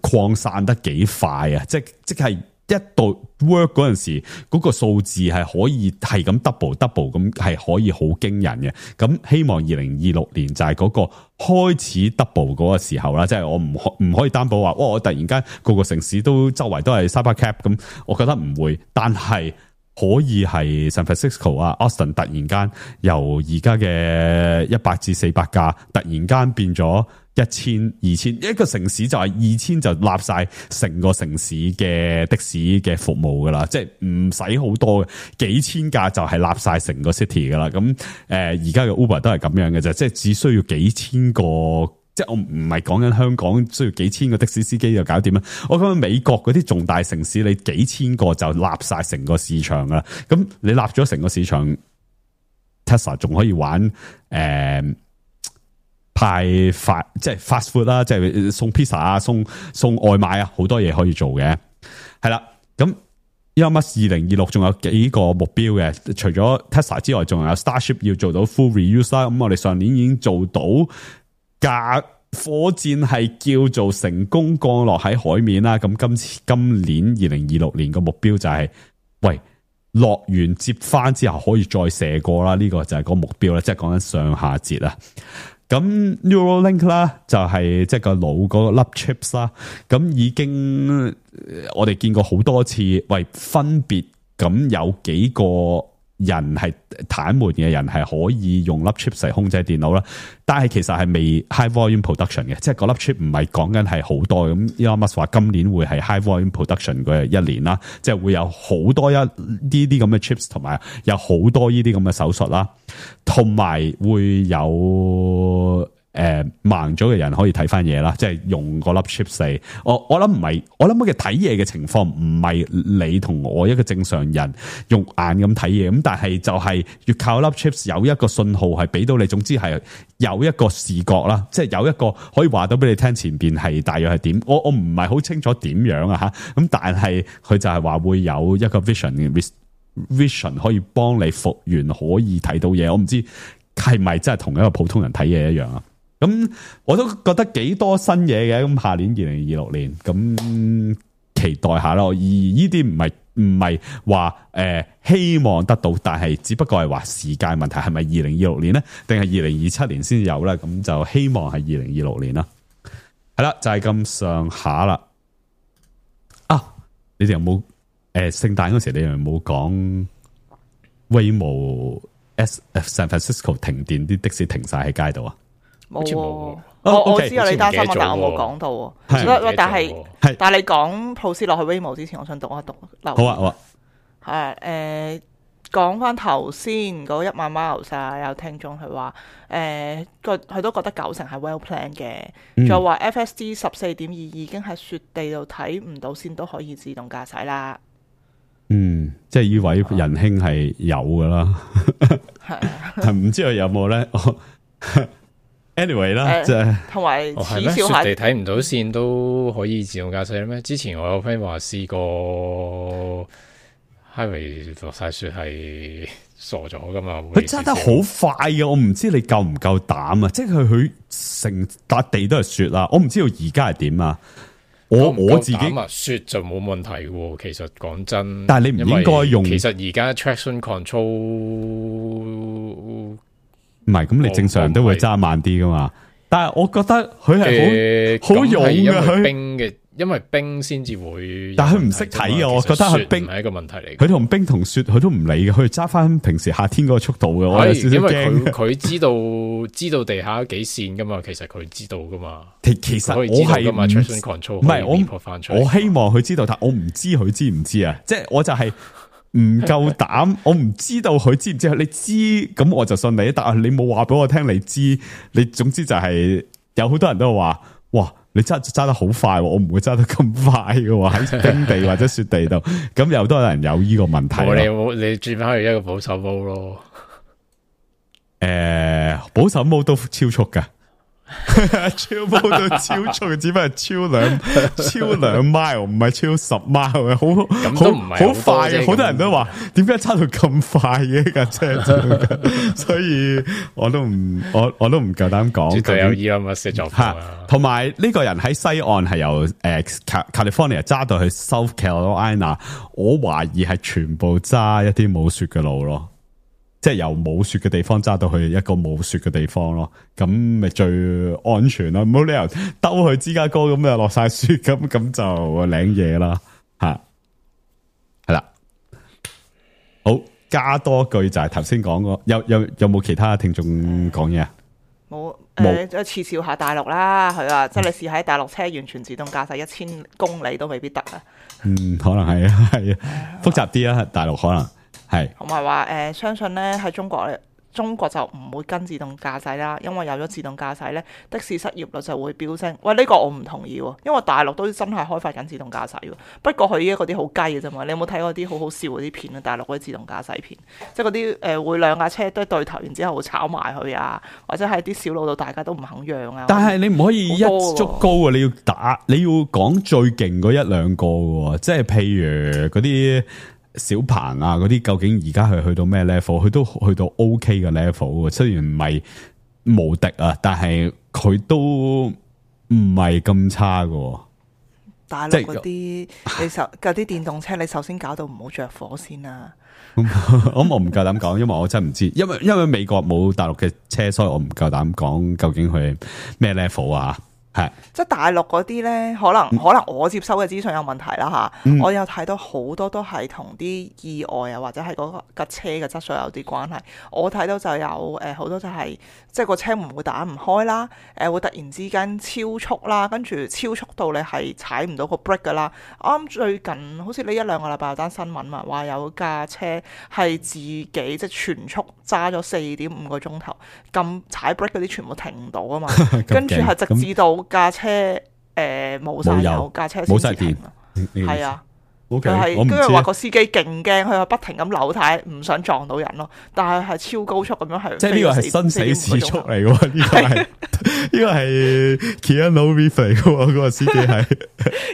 擴散得幾快啊！即即係。一到 work 嗰陣時，嗰個數字係可以係咁 double double 咁，係可以好驚人嘅。咁希望二零二六年就係嗰個開始 double 嗰個時候啦。即係我唔可唔可以擔保話，哇！我突然間個個城市都周圍都係 Cybercab 咁，我覺得唔會。但係可以係 San Francisco 啊、Austin 突然間由而家嘅一百至四百架，突然間變咗一千、二千，一個城市就係二千就立晒成個城市嘅的士嘅服務噶啦，即係唔使好多嘅，幾千架就係立晒成個 city 噶啦。咁誒，而家嘅 Uber 都係咁樣嘅啫，即係只需要幾千個，即係我唔係講緊香港需要幾千個的士司機就搞掂啦。我講緊美國嗰啲重大城市，你幾千個就立晒成個市場噶啦。咁你立咗成個市場 ，Tesla 仲可以玩誒。呃派發即係 fast food 啦，即係送 pizza 啊，送送外賣啊，好多嘢可以做嘅。係啦，咁 Elon Musk 二零二六仲有幾個目標嘅，除咗 Tesla 之外，仲有 Starship 要做到 full reuse 啦。咁我哋上年已經做到架火箭係叫做成功降落喺海面啦。咁今次今年二零二六年個目標就係、是，喂，落完接翻之後可以再射過啦。呢、這個就係個目標啦，即係講緊上下節啊。咁 Neuralink 啦，就係即係個腦嗰個粒 chips 啦，咁已經我哋見過好多次，喂，分別咁有幾個人係癱瘓嘅人係可以用粒 chips 嚟控制電腦啦，但係其實係未 high volume production 嘅，即係個粒 chip 唔係講緊係好多咁。Elon Musk 話今年會係 high volume production 嘅一年啦，即係會有好多一呢啲咁嘅 chips， 同埋有好多呢啲咁嘅手術啦，同埋會有。誒、呃，盲咗嘅人可以睇翻嘢啦，即係用個粒 chips 嚟。我我諗唔係，我諗嘅睇嘢嘅情況唔係你同我一個正常人用眼咁睇嘢，咁但係就係要靠粒 chips 有一個信號係俾到你，總之係有一個視覺啦，即係有一個可以話到俾你聽前邊係大約係點。我我唔係好清楚點樣啊吓，咁但係佢就係話會有一個 vision vision 可以幫你復原，可以睇到嘢。我唔知係咪真係同一個普通人睇嘢一樣啊？咁我都覺得幾多新嘢嘅，咁下年二零二六年，咁期待下咯。而呢啲唔係唔係話誒希望得到，但係只不過係話時間問題，係咪二零二六年咧，定係二零二七年先有咧？咁就希望係二零二六年啦。係啦，就係咁上下啦。啊，你哋有冇誒聖誕嗰時，你哋有冇講 Waymo S San Francisco 停電，啲的士停晒喺街度啊？冇、哦，我、哦、我 okay, 知道你擔心我，但我冇講到。係，但係但係你講 proceed 落去 Waymo 之前，我想讀一讀。好啊，好啊。係誒，講翻頭先嗰一萬 miles 啊，有聽眾佢話誒，佢佢都覺得九成係 well plan 嘅，就話 F S D 十四點二已經喺雪地度睇唔到線都可以自動駕駛啦。嗯，即係呢位仁兄係有噶啦，係唔知佢有冇咧？ anyway 啦，即係同埋係咩？雪地睇唔到線都可以自動駕駛咩？之前我有 friend 話試過 highway 落晒雪係傻咗噶嘛？佢揸得好快嘅，我唔知你夠唔夠膽啊！即係佢佢成笪地都係雪啦，我唔知道而家係點啊！我我自己啊，雪就冇問題嘅，其實講真，但係你唔應該用。其實而家 traction control 唔係咁，你正常人都會揸慢啲噶嘛。但係我覺得佢係好好勇嘅，佢冰嘅，因為冰先至會。但係佢唔識睇嘅，我覺得係冰係一個問題嚟。佢同冰同雪佢都唔理嘅，佢揸翻平時夏天嗰個速度嘅。我有少少驚。因為佢佢知道知道地下幾線噶嘛，其實佢知道噶嘛。其其實我係唔係我我希望佢知道，但我唔知佢知唔知啊。即係我就係、是。唔夠膽，我唔知道佢知唔知。你知咁我就信你，但係你冇話俾我聽你知。你總之就係、是、有好多人都話，哇，你揸揸得好快，我唔會揸得咁快嘅喎。喺冰地或者雪地度，咁有多人有呢個問題。你冇你轉翻去一個保守模咯。誒、呃，保守模都超速噶。超模都超速，只不過超兩超兩 mile， 唔係超十 mile， 好好好快嘅。好多人都話，點解揸到咁快嘅架車？所以我都唔我我都唔夠膽講。絕對有依咁嘅寫作法。同埋呢個人喺西岸係由誒 California 揸到去 South Carolina， 我懷疑係全部揸一啲冇雪嘅路咯。即係由冇雪嘅地方揸到去一個冇雪嘅地方咯，咁咪最安全咯。冇理由兜去芝加哥咁又落晒雪，咁咁就領嘢啦吓，係啦。好，加多句就係頭先講過，有有有冇其他聽眾講嘢啊？冇誒，即係恥笑下大陸啦，係啊，即係你試喺大陸車完全自動駕駛一千公里都未必得啊。嗯，可能係啊，係啊，複雜啲啊，大陸可能係。同埋話誒，相信咧喺中國咧。中國就唔會跟自動駕駛啦，因為有咗自動駕駛咧，的士失業率就會飆升。喂，呢、這個我唔同意喎，因為大陸都真係開發緊自動駕駛喎。不過佢依家嗰啲好雞嘅啫嘛，你有冇睇過啲好好笑嗰啲片啊？大陸嗰啲自動駕駛片，即係嗰啲誒會兩架車都對頭，然之後會炒埋佢啊，或者係啲小路度大家都唔肯讓啊。但係你唔可以一足高啊！你要打，你要講最勁嗰一兩個喎，即係譬如嗰啲。小鵬啊，嗰啲究竟而家係去到咩 level？ 佢都去到 OK 嘅 level， 雖然唔係無敵啊，但係佢都唔係咁差嘅。大陸嗰啲你首嗰啲電動車，你首先搞到唔好着火先啦。咁我唔夠膽講，因為我真係唔知，因為因為美國冇大陸嘅車，所以我唔夠膽講究竟佢咩 level 啊。係，即係大陸嗰啲咧，可能、嗯、可能我接收嘅資訊有問題啦吓，嗯、我有睇到好多都係同啲意外啊，或者係嗰架車嘅質素有啲關係。我睇到就有誒好、呃、多就係、是，即係個車門會打唔開啦，誒、呃、會突然之間超速啦，跟住超速到你係踩唔到個 brake 噶啦。啱最近好似呢一兩個禮拜有單新聞嘛，話有架車係自己即係全速揸咗四點五個鐘頭，咁踩 brake 嗰啲全部停唔到啊嘛，跟住係直至到。架車誒冇晒油，架車冇晒電，係啊，佢係跟住話個司機勁驚，佢係不停咁扭軚，唔想撞到人咯。但係係超高速咁樣係，即係呢個係生死時速嚟嘅喎，呢個係呢個係 Keanu Reeves 嚟嘅喎，嗰個司機係。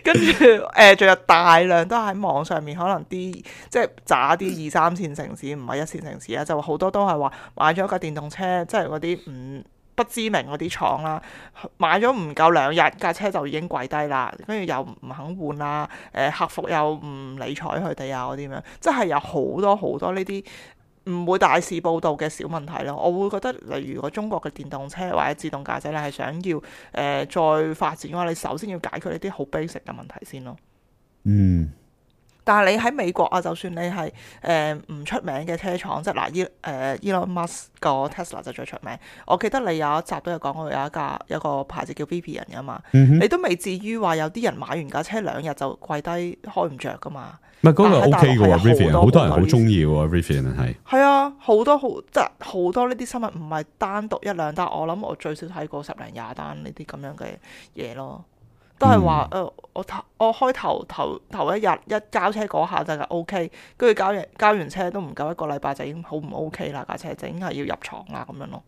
跟住誒，仲有大量都喺網上面，可能啲即係渣啲二三線城市，唔係一線城市啊，就好多都係話買咗架電動車，即係嗰啲唔。不知名嗰啲廠啦，買咗唔夠兩日架車就已經跪低啦，跟住又唔肯換啦，誒客服又唔理睬佢哋啊嗰啲咁樣，即係有好多好多呢啲唔會大肆報導嘅小問題咯。我會覺得，例如如果中國嘅電動車或者自動駕駛，你係想要誒、呃、再發展嘅話，你首先要解決呢啲好 basic 嘅問題先咯。嗯。但係你喺美國啊，就算你係誒唔出名嘅車廠，即係嗱，伊誒 Elon Musk 個 Tesla 就最出名。我記得你有一集都有講過，有一架有一個牌子叫 Rivian 噶嘛，嗯、哼你都未至於話有啲人買完架車兩日就跪低開唔着噶嘛。唔係嗰個 OK 嘅喎 Rivian， 好多人好中意喎 Rivian 係。係啊，好多好即係好多呢啲新聞，唔係單獨一兩單，我諗我最少睇過十零廿單呢啲咁樣嘅嘢咯。都係話誒，我頭我開頭頭頭一日一交車嗰下就係 O K， 跟住交完交完車都唔夠一個禮拜就已經好唔 O K 啦，架車就已經係要入廠啦咁樣咯。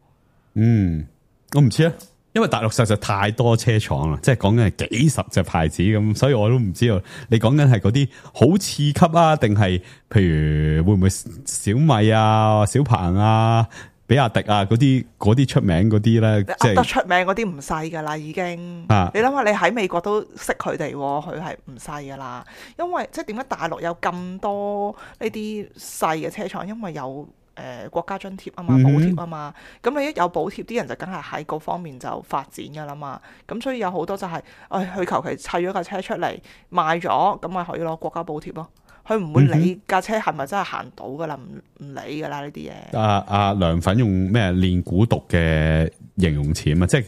嗯，我唔知啊，因為大陸實在太多車廠啦，即係講緊係幾十隻牌子咁，所以我都唔知道你講緊係嗰啲好次級啊，定係譬如會唔會小米啊、小鵬啊、比亞迪啊嗰啲嗰啲出名嗰啲咧，即係得出名嗰啲唔細噶啦，已經。啊、你諗下，你喺美國都識佢哋，佢係唔細噶啦。因為即係點解大陸有咁多呢啲細嘅車廠？因為有誒、呃、國家津貼啊嘛，補貼啊嘛。咁、嗯、你一有補貼，啲人就梗係喺嗰方面就發展噶啦嘛。咁所以有好多就係、是，誒佢求其砌咗架車出嚟賣咗，咁咪可以攞國家補貼咯。佢唔會理架車係咪真係行到噶啦，唔唔理噶啦呢啲嘢。阿阿梁粉用咩練蠱毒嘅形容詞啊？即係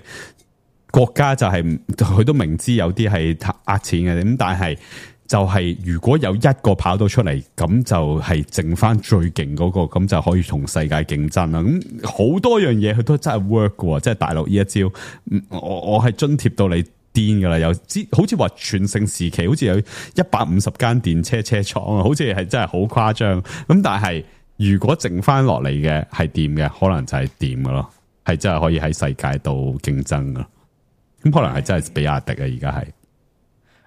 國家就係、是、佢都明知有啲係呃錢嘅，咁但係就係如果有一個跑到出嚟，咁就係剩翻最勁嗰、那個，咁就可以同世界競爭啦。咁好多樣嘢佢都真係 work 嘅，即係大陸呢一招，我我係津貼到你。癲噶啦，有之好似話全盛時期，好似有一百五十間電車車廠啊，好似係真係好誇張。咁但係如果剩翻落嚟嘅係掂嘅，可能就係掂噶咯，係真係可以喺世界度競爭噶。咁可能係真係比亞迪啊，而家係。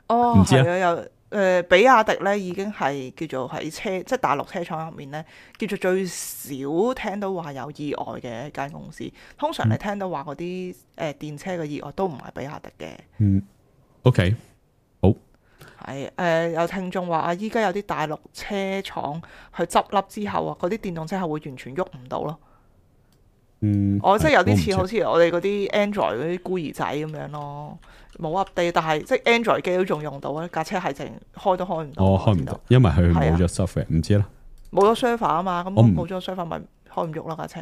哦，係啊，有誒、呃，比亞迪咧已經係叫做喺車，即係大陸車廠入面咧，叫做最少聽到話有意外嘅一間公司。通常你聽到話嗰啲誒電車嘅意外都唔係比亞迪嘅。嗯 ，OK， 好。係誒、呃，有聽眾話啊，依家有啲大陸車廠去執笠之後啊，嗰啲電動車係會完全喐唔到咯。嗯，我即係有啲似好似我哋嗰啲 Android 嗰啲孤兒仔咁樣咯，冇 update，但係即係 Android 機都仲用到啊，架車係淨開都開唔到。哦，開唔到，因為佢冇咗 software，唔知啦。冇咗 server 啊嘛，咁冇咗 server 咪開唔喐啦架車。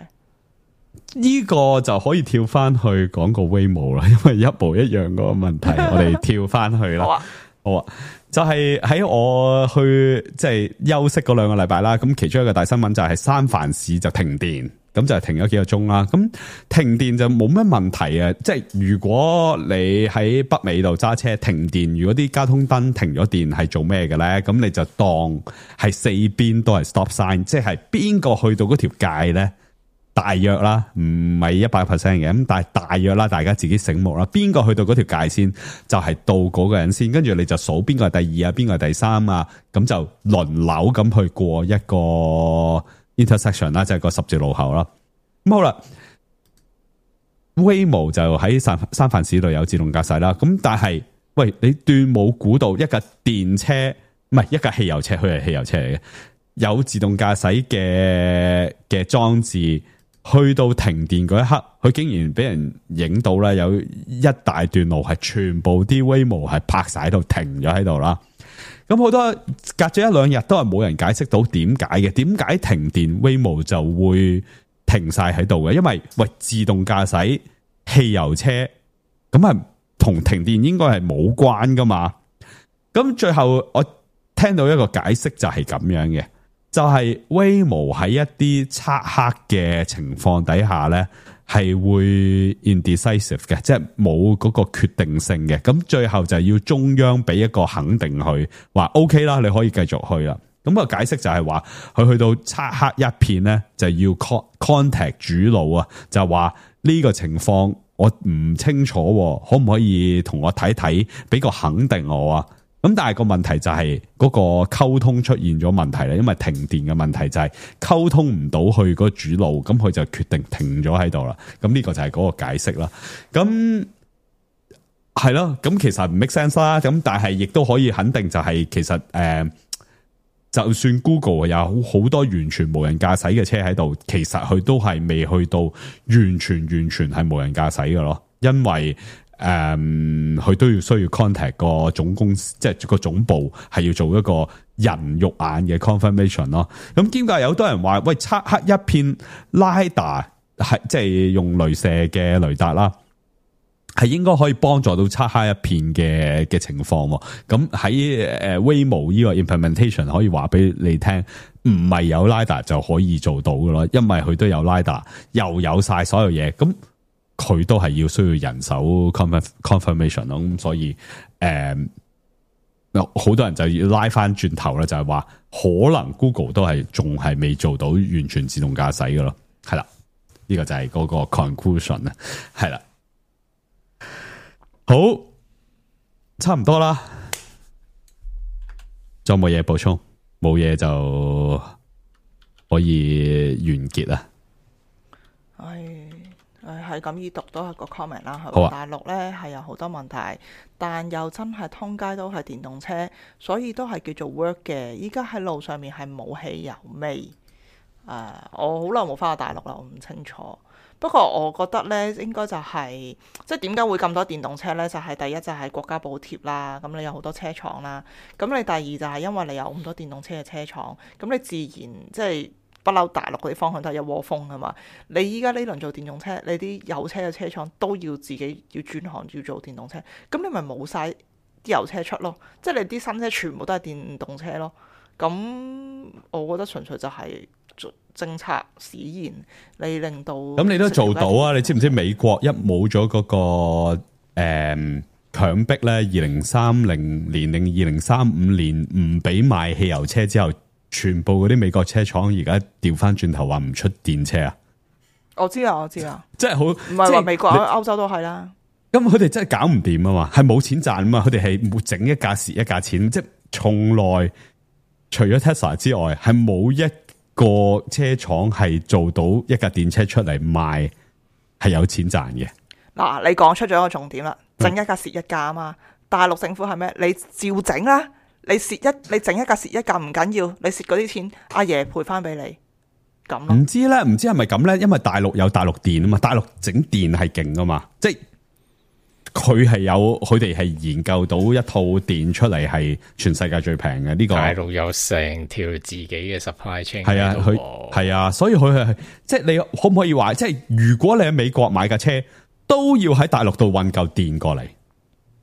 呢個就可以跳翻去講個 Waymo 啦，因為一模一樣嗰個問題，我哋跳翻去啦。好啊，好啊，就係、是、喺我去即係、就是、休息嗰兩個禮拜啦。咁其中一個大新聞就係三藩市就停電，咁就停咗幾個鐘啦。咁停電就冇乜問題啊。即係如果你喺北美度揸車停電，如果啲交通燈停咗電係做咩嘅咧？咁你就當係四邊都係 stop sign，即係邊個去到嗰條界咧？大約啦，唔係一百 percent 嘅，咁但係大約啦，大家自己醒目啦。邊個去到嗰條界先，就係、是、到嗰個人先，跟住你就數邊個係第二啊，邊個係第三啊，咁就輪流咁去過一個 intersection 啦，即係個十字路口啦。咁好啦 ，Waymo 就喺三三藩市度有自動駕駛啦。咁但係，喂，你斷冇估到一架電車，唔係一架汽油車，佢係汽油車嚟嘅，有自動駕駛嘅嘅裝置。去到停電嗰一刻，佢竟然俾人影到啦，有一大段路係全部啲 Waymo 係泊晒喺度停咗喺度啦。咁好多隔咗一兩日都係冇人解釋到點解嘅，點解停電 Waymo 就會停晒喺度嘅？因為喂，自動駕駛汽油車咁啊，同停電應該係冇關噶嘛。咁最後我聽到一個解釋就係咁樣嘅。就係 Waymo 喺一啲漆黑嘅情況底下咧，係會 indecisive 嘅，即係冇嗰個決定性嘅。咁最後就要中央俾一個肯定佢，話 OK 啦，你可以繼續去啦。咁個解釋就係話，佢去到漆黑一片咧，就要 contact 主腦啊，就話呢個情況我唔清楚，可唔可以同我睇睇，俾個肯定我啊？咁但係個問題就係嗰個溝通出現咗問題啦，因為停電嘅問題就係溝通唔到去嗰主路，咁佢就決定停咗喺度啦。咁呢個就係嗰個解釋啦。咁係咯，咁其實唔 make sense 啦。咁但係亦都可以肯定就係其實誒、呃，就算 Google 有好多完全無人駕駛嘅車喺度，其實佢都係未去到完全完全係無人駕駛嘅咯，因為。誒，佢、um, 都要需要 contact 個總公司，即係個總部係要做一個人肉眼嘅 confirmation 咯。咁兼解有好多人話，喂，漆黑一片 LiDAR 係即係用鐳射嘅雷達啦，係應該可以幫助到漆黑一片嘅嘅情況。咁喺誒 Waymo 呢個 implementation 可以話俾你聽，唔係有 LiDAR 就可以做到嘅咯，因為佢都有 LiDAR，又有晒所有嘢咁。佢都係要需要人手 confirmation 咯，咁所以誒，好、呃、多人就要拉翻轉頭啦，就係、是、話可能 Google 都係仲係未做到完全自動駕駛嘅咯，係啦，呢、這個就係嗰個 conclusion 啦，係啦，好，差唔多啦，仲有冇嘢補充？冇嘢就可以完結啦。係。誒係咁意讀都係個 comment 啦，係、啊、大陸咧係有好多問題，但又真係通街都係電動車，所以都係叫做 work 嘅。依家喺路上面係冇汽油味。誒、呃，我好耐冇翻過大陸啦，我唔清楚。不過我覺得咧，應該就係、是、即係點解會咁多電動車咧？就係、是、第一就係國家補貼啦，咁你有好多車廠啦。咁你第二就係因為你有咁多電動車嘅車廠，咁你自然即係。不嬲，大陸嗰啲方向都係一窩蜂㗎嘛。你依家呢輪做電動車，你啲有車嘅車廠都要自己要轉行要做電動車，咁你咪冇晒啲油車出咯。即係你啲新車全部都係電動車咯。咁我覺得純粹就係政策使然，你令到咁你都做到啊？你知唔知美國一冇咗嗰個誒、嗯、強迫咧，二零三零年定二零三五年唔俾賣汽油車之後？全部嗰啲美國車廠而家調翻轉頭話唔出電車啊！我知啊，我知啊，即係好，唔係話美國、歐洲都係啦。咁佢哋真係搞唔掂啊嘛，係冇錢賺啊嘛，佢哋係冇整一架蝕一架錢，即係從來除咗 Tesla 之外，係冇一個車廠係做到一架電車出嚟賣係有錢賺嘅。嗱，你講出咗一個重點啦，整一架蝕一架啊嘛。嗯、大陸政府係咩？你照整啦。你蝕一，你整一架蝕一架唔緊要，你蝕嗰啲錢，阿爺賠翻俾你，咁咯。唔知咧，唔知係咪咁咧？因為大陸有大陸電啊嘛，大陸整電係勁啊嘛，即係佢係有佢哋係研究到一套電出嚟係全世界最平嘅呢個。大陸有成條自己嘅 supply chain。係啊，佢係啊，所以佢係即係你可唔可以話，即係如果你喺美國買架車，都要喺大陸度運嚿電過嚟。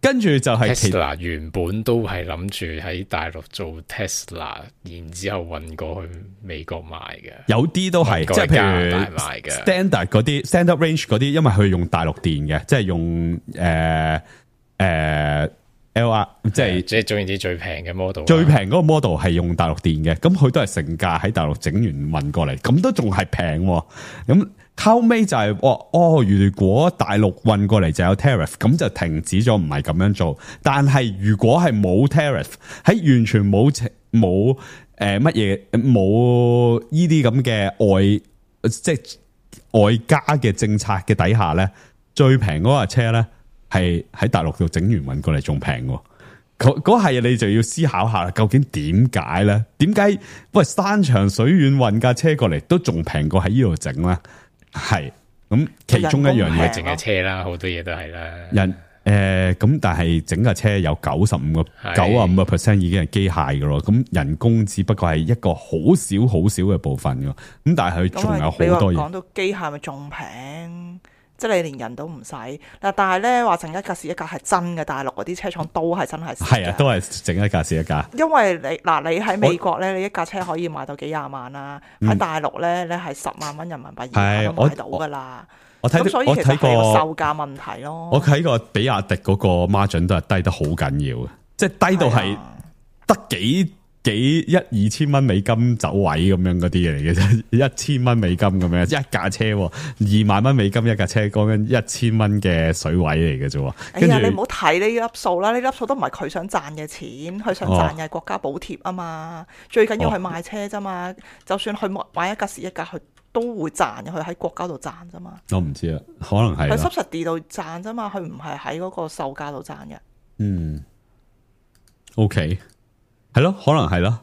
跟住就係 Tesla 原本都係諗住喺大陸做 Tesla， 然之後運過去美國賣嘅。有啲都係即係譬如 standard 嗰啲 standard range 嗰啲，因為佢用大陸電嘅，即係用誒誒、呃呃、L R， 即係即係總言之最平嘅 model， 最平嗰個 model 係用大陸電嘅，咁佢都係成價喺大陸整完運過嚟，咁都仲係平咁。後尾就係、是、哦哦，如果大陸運過嚟就有 tariff， 咁就停止咗，唔係咁樣做。但係如果係冇 tariff， 喺完全冇冇誒乜嘢冇呢啲咁嘅外即係外加嘅政策嘅底下咧，最平嗰架車咧係喺大陸度整完運過嚟仲平。嗰嗰係你就要思考下，究竟點解咧？點解喂山長水遠運架車過嚟都仲平過喺呢度整咧？係咁，其中一樣嘢淨係車啦，好多嘢都係啦。人誒，咁、呃、但係整架車有九十五個九啊五個 percent 已經係機械噶咯，咁人工只不過係一個好少好少嘅部分噶，咁但係佢仲有好多嘢。講到機械咪仲平？即係你連人都唔使嗱，但係咧話整一架是一架係真嘅，大陸嗰啲車廠都係真係係啊，都係整一架是一架。因為你嗱，你喺美國咧，你一架車可以賣到幾廿萬啦，喺大陸咧，你係十萬蚊人民幣以下都買到噶啦。我睇，所以其實係個售價問題咯。我睇過比亞迪嗰個 margin 都係低得好緊要嘅，即係低到係得幾。幾一二千蚊美金走位咁樣嗰啲嘢嚟嘅啫，一千蚊美金咁樣一架車，二萬蚊美金一架車，講緊一千蚊嘅水位嚟嘅啫。哎呀，你唔好睇呢粒數啦，呢粒數都唔係佢想賺嘅錢，佢想賺嘅係國家補貼啊嘛。哦、最緊要係賣車啫嘛，哦、就算佢買一架是一架，佢都會賺嘅，佢喺國家度賺啫嘛。我唔知啊，可能係佢 subsidy 度賺啫嘛，佢唔係喺嗰個售價度賺嘅。嗯 ，OK。係咯，可能係咯，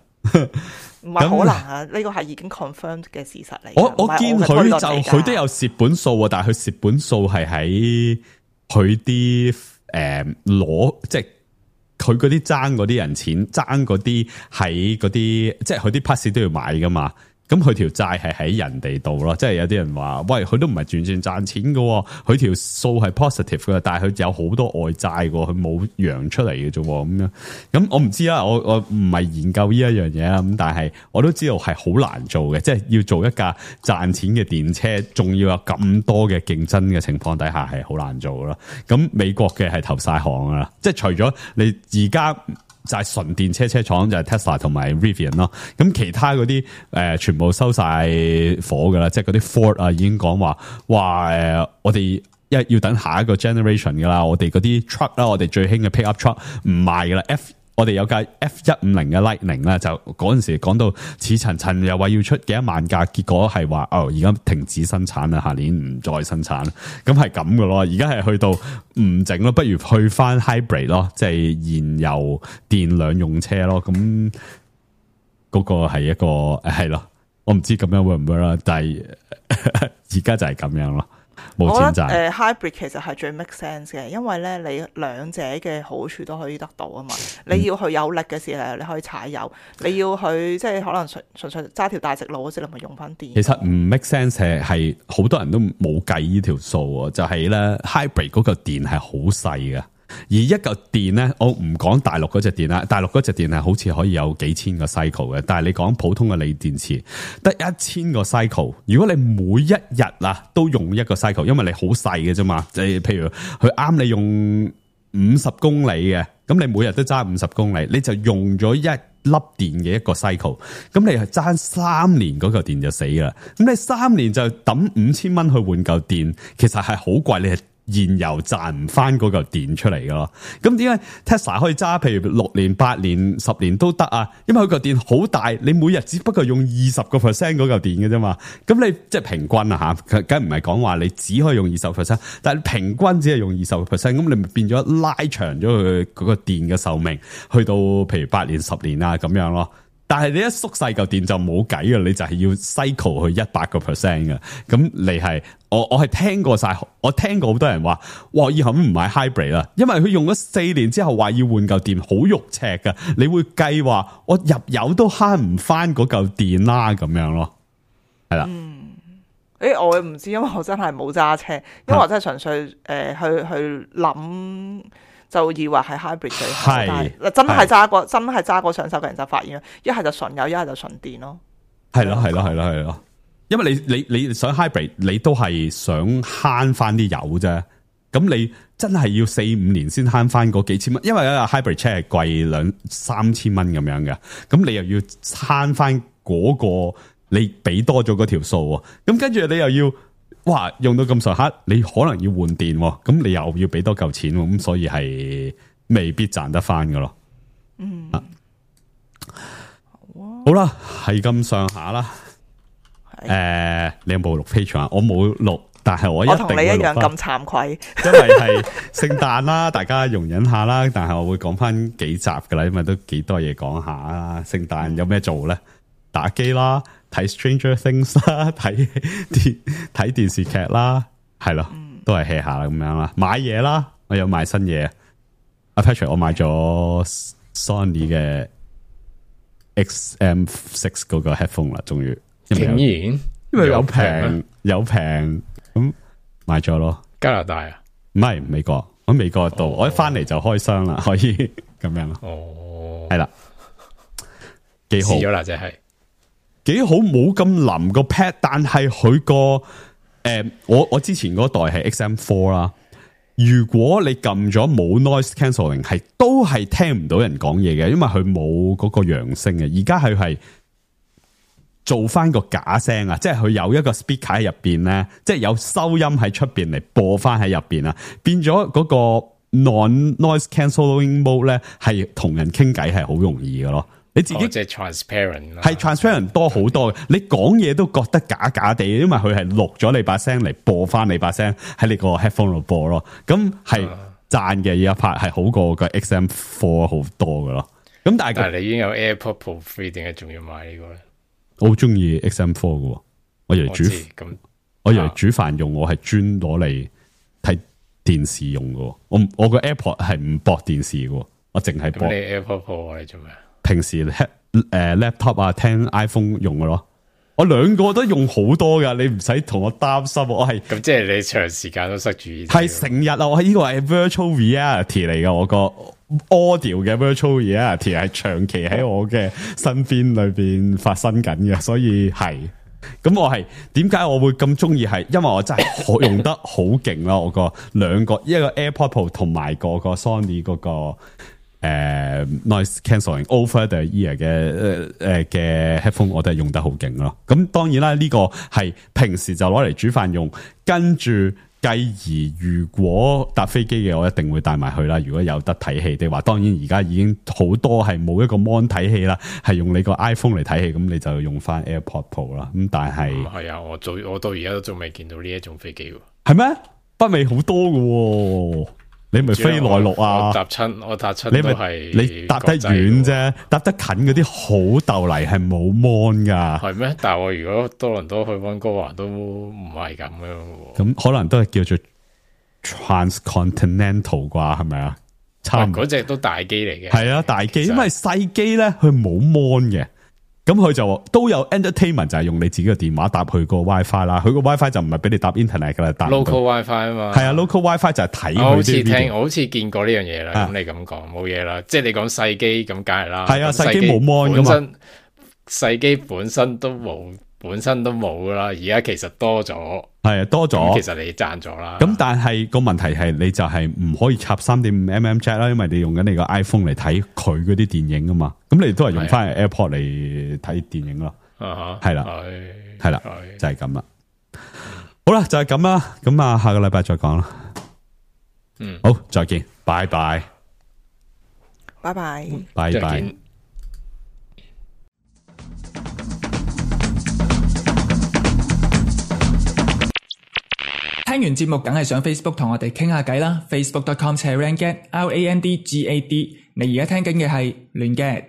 唔係可能啊！呢個係已經 confirmed 嘅事實嚟。我我見佢就佢都有蝕本數啊，但係佢蝕本數係喺佢啲誒攞，即係佢嗰啲爭嗰啲人錢，爭嗰啲喺嗰啲，即係佢啲 pass 都要買噶嘛。咁佢條債係喺人哋度咯，即係有啲人話，喂，佢都唔係完全賺錢噶，佢條數係 positive 噶，但係佢有好多外債噶，佢冇揚出嚟嘅啫，咁樣。咁我唔知啦，我我唔係研究呢一樣嘢啦，咁但係我都知道係好難做嘅，即係要做一架賺錢嘅電車，仲要有咁多嘅競爭嘅情況底下，係好難做咯。咁美國嘅係投晒行啦，即係除咗你而家。就係純電車車廠就係 Tesla 同埋 Rivian 咯，咁其他嗰啲誒全部收晒火噶啦，即係嗰啲 Ford 啊已經講話，哇誒、呃、我哋一要等下一個 generation 噶啦，我哋嗰啲 truck 啦，我哋最興嘅 pickup truck 唔賣噶啦 ，F 我哋有架 F 一五零嘅 Lightning 啦，就嗰陣時講到似層層又話要出幾多萬架，結果係話哦而家停止生產啦，下年唔再生產，咁係咁噶咯，而家係去到唔整咯，不如去翻 hybrid 咯，即係燃油電兩用車咯，咁嗰個係一個係咯，我唔知咁樣會唔會啦，但係而家就係咁樣咯。冇錢賺。誒、呃、hybrid 其實係最 make sense 嘅，因為咧你兩者嘅好處都可以得到啊嘛。你要去有力嘅時候，你可以踩油；你要去即係可能純純粹揸條大直路嗰時，你咪用翻電。其實唔 make sense 係係好多人都冇計呢條數，就係、是、咧 hybrid 嗰個電係好細嘅。而一嚿電咧，我唔講大陸嗰隻電啦，大陸嗰隻電係好似可以有幾千個 cycle 嘅，但係你講普通嘅鋰電池得一千個 cycle。如果你每一日啊都用一個 cycle，因為你好細嘅啫嘛，即係譬如佢啱你用五十公里嘅，咁你每日都揸五十公里，你就用咗一粒電嘅一個 cycle， 咁你係爭三年嗰嚿電就死啦。咁你三年就抌五千蚊去換嚿電，其實係好貴，你係燃油賺唔翻嗰嚿電出嚟噶咯，咁點解 Tesla 可以揸譬如六年、八年、十年都得啊？因為佢嚿電好大，你每日只不過用二十個 percent 嗰嚿電嘅啫嘛。咁你即係平均啊吓，梗唔係講話你只可以用二十 percent， 但係平均只係用二十個 percent， 咁你咪變咗拉長咗佢嗰個電嘅壽命，去到譬如八年、十年啊咁樣咯。但係你一縮細嚿電就冇計嘅，你就係要 cycle 去一百個 percent 嘅。咁你係我我係聽過晒，我聽過好多人話，哇！以後唔買 hybrid 啦，因為佢用咗四年之後話要換嚿電，好肉赤噶。你會計話我入油都慳唔翻嗰嚿電啦，咁樣咯，係啦。嗯，誒，我唔知，因為我真係冇揸車，因為我真係純粹誒、呃、去去諗。就以為係 hybrid 最好，但係真係揸過真係揸過上手嘅人就發現，一係就純油，一係就純電咯。係咯，係咯，係咯，係咯。因為你你你想 hybrid，你都係想慳翻啲油啫。咁你真係要四五年先慳翻嗰幾千蚊，因為啊 hybrid 車係貴兩三千蚊咁樣嘅。咁你又要慳翻嗰個，你俾多咗嗰條數。咁跟住你又要。哇！用到咁上下，你可能要換電，咁你又要俾多嚿錢，咁所以係未必賺得翻噶咯。嗯，啊、好啦，係咁上下啦。誒、呃，你有冇錄 Patreon？我冇錄，但係我一定會錄。我同你一樣咁慚愧，因為係聖誕啦，大家容忍下啦。但係我會講翻幾集噶啦，因為都幾多嘢講下啦。聖誕有咩做咧？打機啦。睇 Stranger Things 啦，睇電睇電視劇啦，係咯，都係 hea 下啦咁樣啦。買嘢啦，我有買新嘢。阿 Patrick，我買咗 Sony 嘅 X M 六嗰個 headphone 啦，終於。竟然，因為有平有平咁買咗咯。加拿大啊？唔係美國，我喺美國度，哦、我一翻嚟就開箱啦，可以咁樣咯。哦，係啦，幾好。試咗啦，就係。幾好，冇咁腍個 pad， 但係佢個誒，我我之前嗰代係 X M 四 啦。如果你撳咗冇 noise cancelling， 係都係聽唔到人講嘢嘅，因為佢冇嗰個揚聲嘅。而家佢係做翻個假聲啊，即係佢有一個 speaker 喺入邊咧，即係有收音喺出邊嚟播翻喺入邊啊，變咗嗰個 non noise cancelling mode 咧，係同人傾偈係好容易嘅咯。你自己即係 transparent，係 transparent 多好多嘅，你講嘢都覺得假假地，因為佢係錄咗你把聲嚟播翻你把聲喺你個 headphone 度播咯。咁係讚嘅，而家拍係好過個 X M 四好多嘅咯。咁但係但係你已經有 AirPod Pro three，點解仲要買呢個咧？我好中意 X M 四嘅，我以為煮咁，我以為煮飯用，我係專攞嚟睇電視用嘅。我我個 AirPod 係唔駁電視嘅，我淨係駁。咁你 AirPod Pro 你做咩？平時誒、呃、laptop 啊，聽 iPhone 用嘅咯，我兩個都用好多噶，你唔使同我擔心。我係咁即係你長時間都塞住，係成日啊！我係呢個係 virtual reality 嚟嘅，我個 audio 嘅 virtual reality 係長期喺我嘅身邊裏邊發生緊嘅，所以係咁。我係點解我會咁中意？係因為我真係好用得好勁啦！我個兩個一個 AirPod Pro 同埋個個 Sony 嗰個。誒、uh, ，noise cancelling over the ear 嘅誒誒嘅 headphone 我都係用得好勁咯。咁當然啦，呢、這個係平時就攞嚟煮飯用，跟住繼而如果搭飛機嘅，我一定會帶埋去啦。如果有得睇戲的話，當然而家已經好多係冇一個 mon 睇戲啦，係用你個 iPhone 嚟睇戲，咁你就用翻 AirPod Pro 啦。咁但係係啊，我做我到而家都仲未見到呢一種飛機喎。係咩？北美好多嘅。你咪飛內陸啊！我搭親，我搭親，你咪係你搭得遠啫，搭得近嗰啲好逗泥係冇 mon 噶。係咩？但係我如果多倫多去溫哥華都唔係咁樣。咁可能都係叫做 transcontinental 啩，係咪啊？差唔多。嗰隻都大機嚟嘅。係啊，大機，因為細機咧佢冇 mon 嘅。咁佢就都有 entertainment， 就係用你自己嘅電話搭佢個 WiFi 啦。佢個 WiFi 就唔係俾你搭 internet 噶啦，搭 local WiFi 啊嘛。係啊 ，local WiFi 就係睇佢啲。我好似聽，我好似見過呢樣嘢啦。咁、啊、你咁講冇嘢啦，即係你講細機咁梗係啦。係啊，細機冇 mon 噶嘛。細機本身都冇，本身都冇噶啦。而家其實多咗，係啊，多咗。其實你賺咗啦。咁但係個問題係，你就係唔可以插 三點五 mm jack 啦，因為你用緊你個 iPhone 嚟睇佢嗰啲電影啊嘛。咁你都係用翻 AirPod 嚟睇電影咯。係啦，係啦，就係咁啦。好啦，就係咁啦。咁啊，下個禮拜再講啦。嗯，好，再見，拜拜，拜拜，拜拜。聽完節目梗係上 Facebook 同我哋傾下偈啦 ，facebook dot com slash randgad R A N D G A D。你而家聽緊嘅係亂 gad。